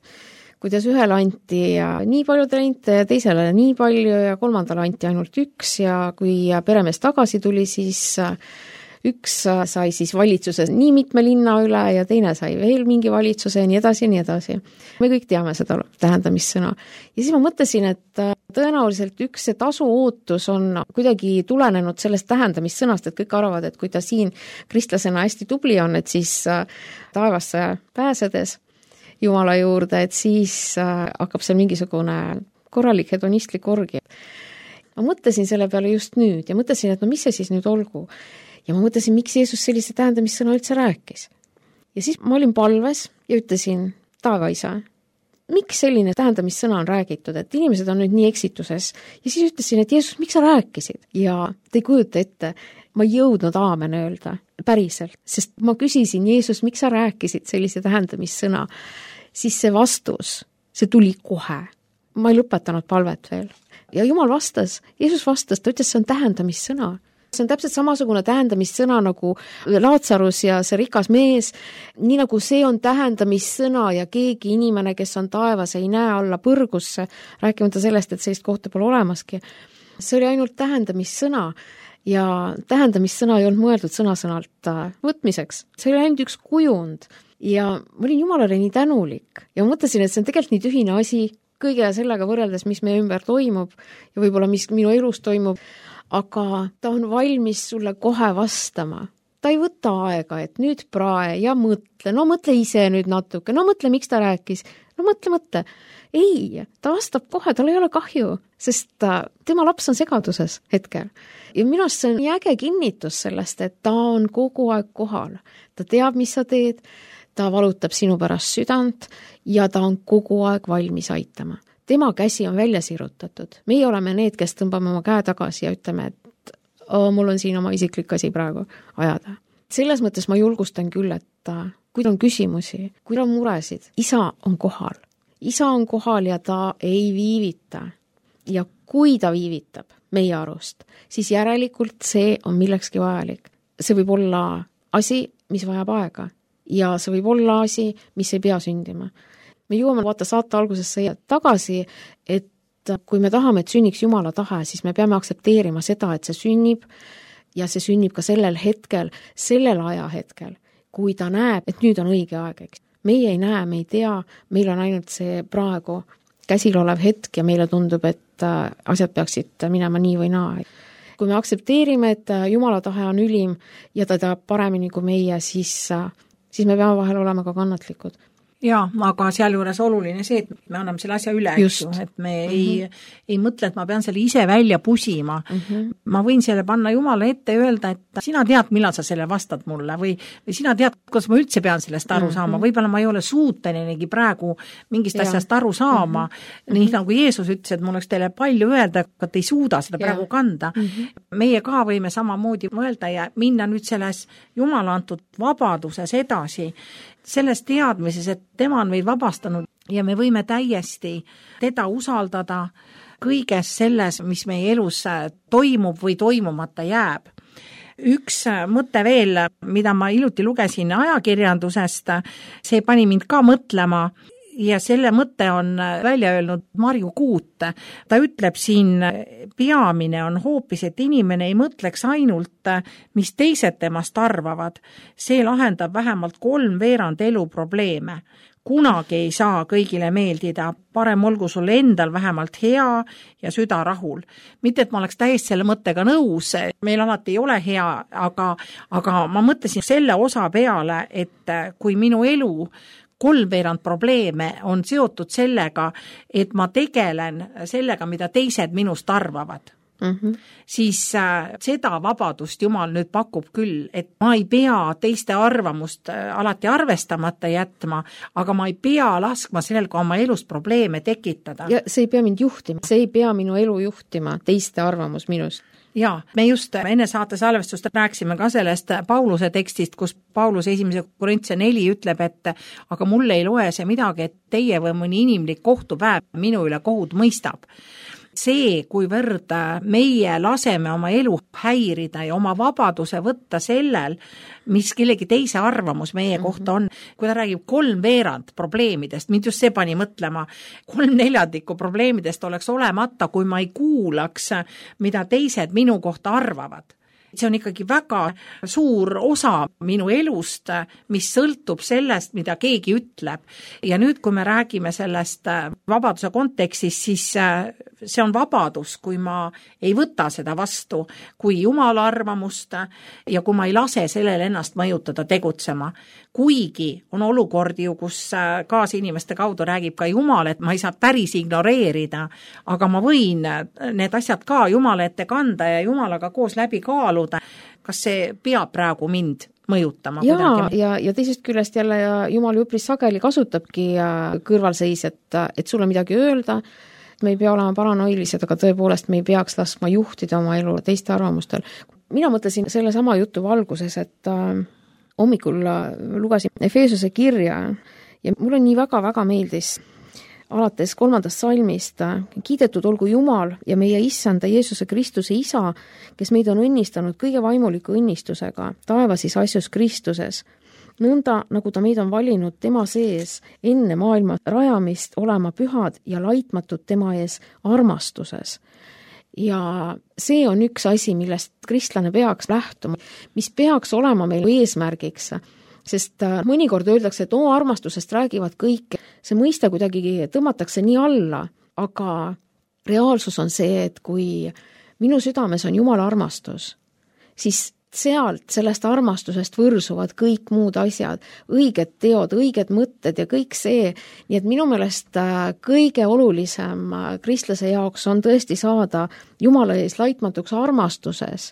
kuidas ühele anti ja nii palju talente ja teisele nii palju ja kolmandale anti ainult üks ja kui peremees tagasi tuli, siis üks sai siis valitsuses nii mitme linna üle ja teine sai veel mingi valitsuse ja nii edasi ja nii edasi. Me kõik teame seda tähendamissõna. Ja siis ma mõtlesin, et tõenäoliselt üks see tasu ootus on kuidagi tulenenud sellest tähendamissõnast, et kõik arvavad, et kui ta siin kristlasena hästi tubli on, et siis taevasse pääsedes Jumala juurde, et siis hakkab seal mingisugune korralik hedonistlik orgi. Ma mõtlesin selle peale just nüüd ja mõtlesin, et no mis see siis nüüd olgu. Ja ma mõtlesin, miks Jeesus sellise tähendamissõna üldse rääkis. Ja siis ma olin palves ja ütlesin, taevaisa, miks selline tähendamissõna on räägitud, et inimesed on nüüd nii eksituses. Ja siis ütlesin, et Jeesus, miks sa rääkisid? Ja te ei kujuta ette, ma ei jõudnud aamen öelda päriselt, sest ma küsisin, Jeesus, miks sa rääkisid sellise tähendamissõna? Siis see vastus, see tuli kohe. Ma ei lõpetanud palvet veel. Ja Jumal vastas, Jeesus vastas, ta ütles, see on tähendamissõna. See on täpselt samasugune tähendamissõna nagu Laatsarus ja see rikas mees, nii nagu see on tähendamissõna ja keegi inimene, kes on taevas, ei näe alla põrgusse, rääkimata sellest, et sellist kohta pole olemaski. See oli ainult tähendamissõna ja tähendamissõna ei olnud mõeldud sõna-sõnalt võtmiseks. See oli ainult üks kujund ja ma olin Jumalale nii tänulik ja mõtlesin, et see on tegelikult nii tühine asi kõige sellega võrreldes, mis meie ümber toimub ja võib-olla mis minu elus toimub, aga ta on valmis sulle kohe vastama. Ta ei võta aega, et nüüd prae ja mõtle, no mõtle ise nüüd natuke, no mõtle, miks ta rääkis, no mõtle, mõtle. Ei, ta vastab kohe, tal ei ole kahju, sest ta, tema laps on segaduses hetkel. Ja minust see on nii äge kinnitus sellest, et ta on kogu aeg kohal. Ta teab, mis sa teed, ta valutab sinu pärast südant ja ta on kogu aeg valmis aitama. Tema käsi on välja sirutatud. Meie oleme need, kes tõmbame oma käe tagasi ja ütleme, et oh, mul on siin oma isiklik asi praegu ajada. Selles mõttes ma julgustan küll, et kui on küsimusi, kui on muresid, isa on kohal. Isa on kohal ja ta ei viivita. Ja kui ta viivitab meie arust, siis järelikult see on millekski vajalik. See võib olla asi, mis vajab aega ja see võib olla asi, mis ei pea sündima. Me jõuame vaata saate algusesse tagasi, et kui me tahame, et sünniks Jumala tahe, siis me peame aktsepteerima seda, et see sünnib ja see sünnib ka sellel hetkel, sellel ajahetkel, kui ta näeb, et nüüd on õige aeg. Eks. Meie ei näe, me ei tea, meil on ainult see praegu käsil olev hetk ja meile tundub, et asjad peaksid minema nii või naa. Kui me aktsepteerime, et Jumala tahe on ülim ja ta teab paremini kui meie, siis, siis me peame vahel olema ka kannatlikud. Jaa, aga sealjuures oluline see, et me anname selle asja üle, eks ju, et me mm -hmm. ei, ei mõtle, et ma pean selle ise välja pusima. Mm -hmm. Ma võin selle panna Jumala ette ja öelda, et sina tead, millal sa selle vastad mulle või, või sina tead, kuidas ma üldse pean sellest aru saama. Mm -hmm. Võib-olla ma ei ole suutenigi praegu mingist ja. asjast aru saama. Mm -hmm. Nii nagu Jeesus ütles, et mul oleks teile palju öelda, aga te ei suuda seda ja. praegu kanda. Mm -hmm. Meie ka võime samamoodi mõelda ja minna nüüd selles Jumala antud vabaduses edasi, selles teadmises, et tema on meid vabastanud ja me võime täiesti teda usaldada kõiges selles, mis meie elus toimub või toimumata jääb. Üks mõte veel, mida ma iluti lugesin ajakirjandusest, see pani mind ka mõtlema ja selle mõte on välja öelnud Marju Kuut. Ta ütleb siin, peamine on hoopis, et inimene ei mõtleks ainult, mis teised temast arvavad. See lahendab vähemalt kolm veerand elu probleeme. Kunagi ei saa kõigile meeldida, parem olgu sul endal vähemalt hea ja süda rahul. Mitte, et ma oleks täiesti selle mõttega nõus, meil alati ei ole hea, aga, aga ma mõtlesin selle osa peale, et kui minu elu kolmveerand probleeme on seotud sellega, et ma tegelen sellega, mida teised minust arvavad. Mm-hmm. Siis äh, seda vabadust Jumal nüüd pakub küll, et ma ei pea teiste arvamust äh, alati arvestamata jätma, aga ma ei pea laskma sellel ka oma elus probleeme tekitada. Ja see ei pea mind juhtima, see ei pea minu elu juhtima, teiste arvamus minust. Jaa, me just enne saate salvestust rääksime ka sellest Pauluse tekstist, kus Paulus esimese Korintse neli ütleb, et aga mulle ei loe see midagi, et teie või mõni inimlik kohtupäev minu üle kohut mõistab. see, kuivõrd meie laseme oma elu häirida ja oma vabaduse võtta sellel, mis kellegi teise arvamus meie kohta on. Kui ta räägib kolm veerand probleemidest, mind just see pani mõtlema, kolm neljandikku probleemidest oleks olemata, kui ma ei kuulaks, mida teised minu kohta arvavad. See on ikkagi väga suur osa minu elust, mis sõltub sellest, mida keegi ütleb. Ja nüüd, kui me räägime sellest vabaduse kontekstis, siis see on vabadus, kui ma ei võta seda vastu, kui Jumala arvamust ja kui ma ei lase sellele ennast mõjutada tegutsema. Kuigi on olukordi ju, kus kaasinimeste kaudu räägib ka Jumal, et ma ei saa päris ignoreerida, aga ma võin need asjad ka Jumala ette kanda ja Jumalaga koos läbi kaaluda, kas see peab praegu mind mõjutama. Ja, ja, ja teisest küljest jälle Jumal üpris sageli kasutabki kõrvalseis, et, et sulle midagi öelda, me ei pea olema paranoilised, aga tõepoolest me ei peaks laskma juhtida oma elu teiste arvamustel. Mina mõtlesin selle sama jutu valguses, et hommikul lugesin Efeesuse kirja ja mulle nii väga-väga meeldis alates kolmandast salmist, kiidetud olgu Jumal ja meie issanda Jeesuse Kristuse isa, kes meid on õnnistanud kõige vaimuliku õnnistusega taevasis asjus Kristuses, nõnda nagu ta meid on valinud tema sees enne maailma rajamist olema pühad ja laitmatud tema ees armastuses. Ja see on üks asi, millest kristlane peaks lähtuma, mis peaks olema meil eesmärgiks, sest mõnikord öeldakse, et oo armastusest räägivad kõik, see mõiste kuidagi tõmmatakse nii alla, aga reaalsus on see, et kui minu südames on Jumala armastus, siis sealt, sellest armastusest võrsuvad kõik muud asjad, õiged teod, õiged mõtted ja kõik see. Nii et minu meelest kõige olulisem kristlase jaoks on tõesti saada Jumala ees laitmatuks armastuses,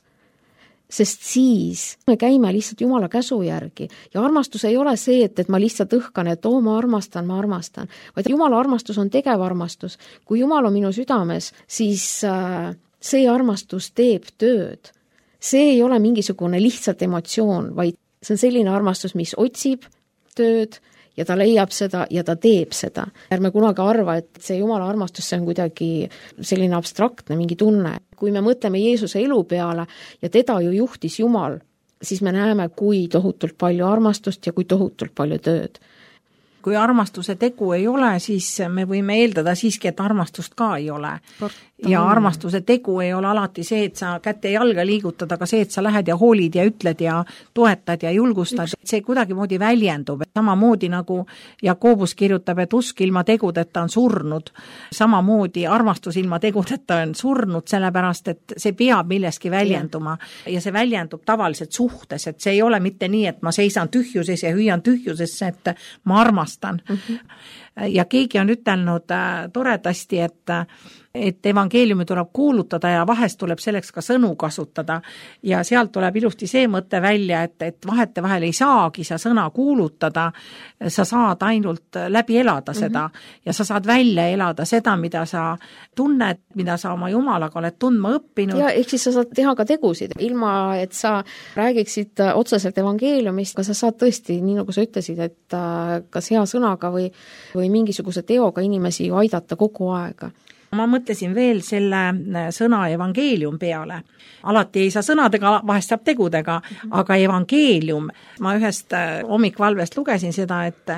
sest siis me käime lihtsalt Jumala käsu järgi. Ja armastus ei ole see, et, et ma lihtsalt õhkan, et oo, ma armastan, ma armastan. Vaid Jumala armastus on tegev armastus. Kui Jumal on minu südames, siis see armastus teeb tööd. See ei ole mingisugune lihtsalt emotsioon, vaid see on selline armastus, mis otsib tööd ja ta leiab seda ja ta teeb seda. Ärme kunagi arva, et see Jumala armastus see on kuidagi selline abstraktne mingi tunne. Kui me mõtleme Jeesuse elu peale ja teda ju juhtis Jumal, siis me näeme, kui tohutult palju armastust ja kui tohutult palju tööd. Kui armastuse tegu ei ole, siis me võime eeldada siiski, et armastust ka ei ole. Ja armastuse tegu ei ole alati see, et sa kätte jalga liigutad, aga see, et sa lähed ja hoolid ja ütled ja toetad ja julgustad, see kuidagi moodi väljendub. Samamoodi nagu Jakobus kirjutab, et usk ilma tegudeta on surnud. Samamoodi armastus ilma tegudeta on surnud, sellepärast, et see peab milleski väljenduma. Ja see väljendub tavaliselt suhtes, et see ei ole mitte nii, et ma seisan tühjuses ja hüüan tühjusesse, et ma armastan. Mm-hmm. Ja keegi on ütelnud toredasti, et et evangeeliumi tuleb kuulutada ja vahest tuleb selleks ka sõnu kasutada ja sealt tuleb ilusti see mõte välja, et, et vahete vahel ei saagi sa sõna kuulutada, sa saad ainult läbi elada seda mm-hmm. ja sa saad välja elada seda, mida sa tunned, mida sa oma Jumalaga oled tundma õppinud. Ja ehk siis sa saad teha ka tegusid, ilma et sa räägiksid otseselt evangeeliumist, aga sa saad tõesti, nii nagu sa ütlesid, et kas hea sõnaga või, või mingisuguse teoga inimesi ju aidata kogu aega. Ma mõtlesin veel selle sõna evangeelium peale. Alati ei saa sõnadega, vahest saab tegudega, mm-hmm. aga evangeelium, ma ühest hommikvalvest lugesin seda, et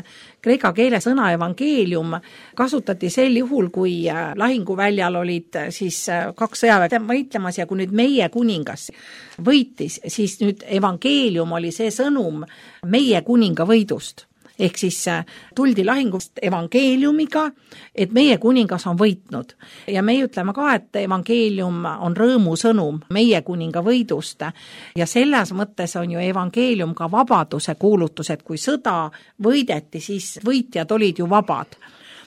kreeka keele sõna evangeelium kasutati sel juhul, kui lahinguväljal olid siis kaks sõjaväe võitlemas ja kui nüüd meie kuningas võitis, siis nüüd evangeelium oli see sõnum meie kuninga võidust. Ehk siis tuldi lahingust evangeeliumiga, et meie kuningas on võitnud. Ja me ütleme ka, et evangeelium on rõõmu sõnum meie kuninga võidust. Ja selles mõttes on ju evangeelium ka vabaduse kuulutus, et kui sõda võideti, siis võitjad olid ju vabad.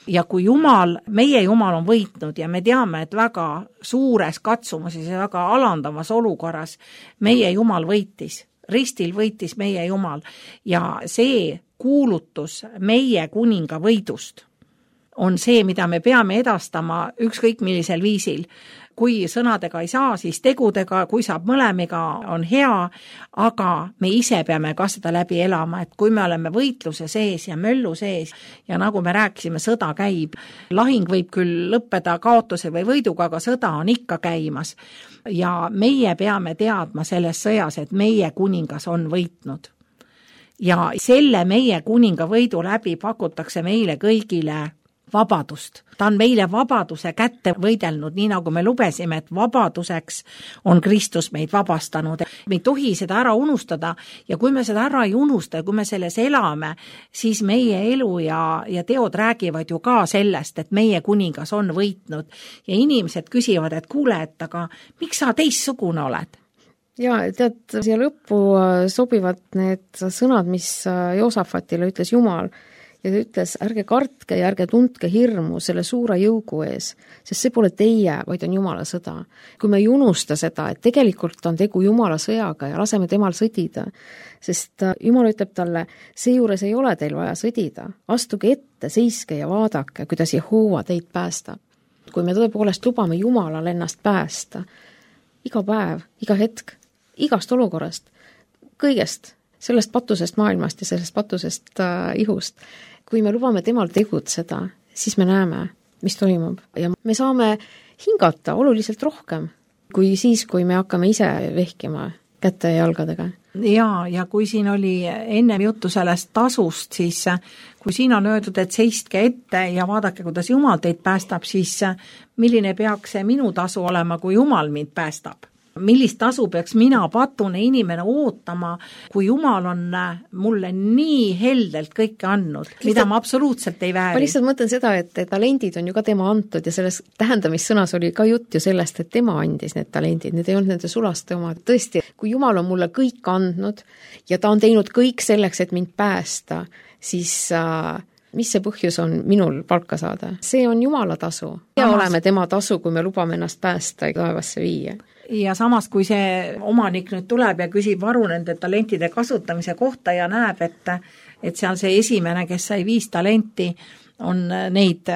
Ja kui Jumal, meie Jumal on võitnud ja me teame, et väga suures katsumuses ja väga alandavas olukorras meie Jumal võitis. Ristil võitis meie Jumal ja see kuulutus meie kuninga võidust on see, mida me peame edastama ükskõik millisel viisil. Kui sõnadega ei saa, siis tegudega, kui saab mõlemiga, on hea, aga me ise peame ka seda läbi elama, et kui me oleme võitluse sees ja möllu sees ja nagu me rääkisime, sõda käib, lahing võib küll lõppeda kaotuse või võiduga, aga sõda on ikka käimas ja meie peame teadma selles sõjas, et meie kuningas on võitnud. Ja selle meie kuninga võidu läbi pakutakse meile kõigile vabadust. Ta on meile vabaduse kätte võidelnud, nii nagu me lubesime, et vabaduseks on Kristus meid vabastanud. Me ei tohi seda ära unustada ja kui me seda ära ei unusta ja kui me selles elame, siis meie elu ja, ja teod räägivad ju ka sellest, et meie kuningas on võitnud. Ja inimesed küsivad, et kuule, et aga miks sa teistsugune oled? Ja tead, siia lõppu sobivad need sõnad, mis Joosafatile ütles Jumal, ja ta ütles, ärge kartke ja ärge tundke hirmu selle suure jõugu ees, sest see pole teie, vaid on Jumala sõda. Kui me ei unusta seda, et tegelikult on tegu Jumala sõjaga ja laseme temal sõdida, sest Jumal ütleb talle, seejuures ei ole teil vaja sõdida, astuge ette, seiske ja vaadake, kuidas Jehova teid päästab. Kui me tõepoolest lubame Jumalal ennast päästa, iga päev, iga hetk, igast olukorrast, kõigest, sellest patusest maailmast ja sellest patusest äh, ihust. Kui me lubame temal tegutseda, siis me näeme, mis toimub. Ja me saame hingata oluliselt rohkem, kui siis, kui me hakkame ise vehkima kätte ja jalgadega. Ja, ja kui siin oli enne juttu sellest tasust, siis kui siin on öeldud, et seistke ette ja vaadake, kuidas Jumal teid päästab, siis milline peaks see minu tasu olema, kui Jumal mind päästab? Millist tasu peaks mina patune inimene ootama, kui Jumal on mulle nii heldelt kõike andnud, lihtsalt, mida ma absoluutselt ei vääri. Ma lihtsalt mõtlen seda, et talendid on ju ka tema antud ja selles tähendamissõnas oli ka jutt ju sellest, et tema andis need talendid, need ei olnud nende sulaste oma. Tõesti, kui Jumal on mulle kõik andnud ja ta on teinud kõik selleks, et mind päästa, siis äh, mis see põhjus on minul palka saada? See on Jumala tasu. Ja Samas... oleme tema tasu, kui me lubame ennast päästa ja taevasse viia. Ja samas, kui see omanik nüüd tuleb ja küsib varu nende talentide kasutamise kohta ja näeb, et, et seal see esimene, kes sai viis talenti, on neid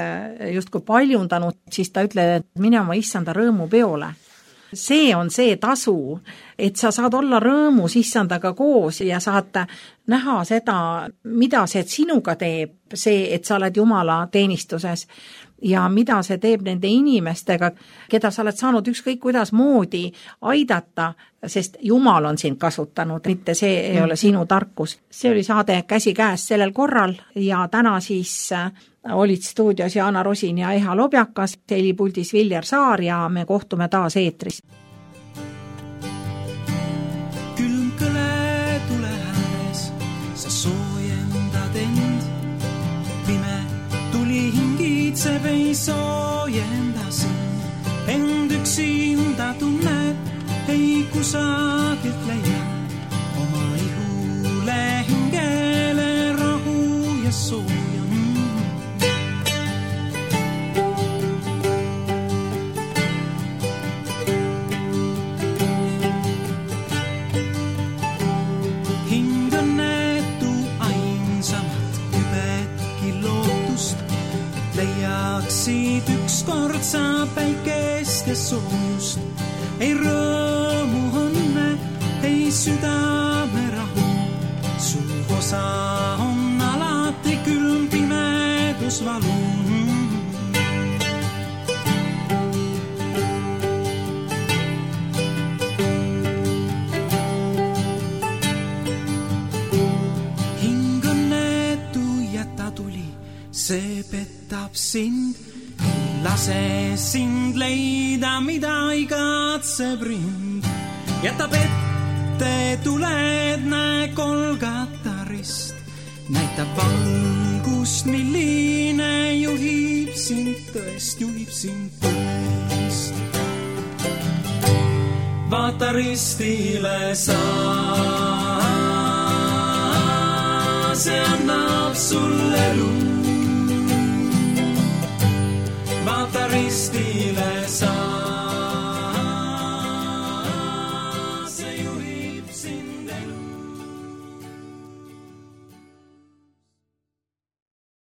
justkui paljundanud, siis ta ütleb, et mine oma issanda rõõmu peole. See on see tasu, et sa saad olla rõõmus issandaga koos ja saad näha seda, mida see sinuga teeb, see, et sa oled Jumala teenistuses ja mida see teeb nende inimestega, keda sa oled saanud ükskõik kuidas moodi aidata, sest Jumal on sind kasutanud, mitte see ei ole sinu tarkus. See oli saade Käsi käes sellel korral ja täna siis olid stuudios Jaana Rosin ja Eha Lobjakas, helipuldis Viljar Saar ja me kohtume taas eetris. Külm kõle tule ääres, sa soojendad end, pime tuli hingitseb ei soojenda sind, end üksinda tunned, ei kusagilt leia, oma ihule hingele rahu ja sooja. Leiaksid ükskord sa päikest ja soojust, ei rõõmu õnne, ei südame rahu. Su osa on alati külm pimedus valu. Hing õnnetu jäta tuli, see petab sind, lase sind leida, mida igatseb rind. Jätab ette tuled, näe Golgata rist, näitab valgust, milline juhib sind tõest, juhib sind tõest. Vaata ristile sa, see annab sulle elu.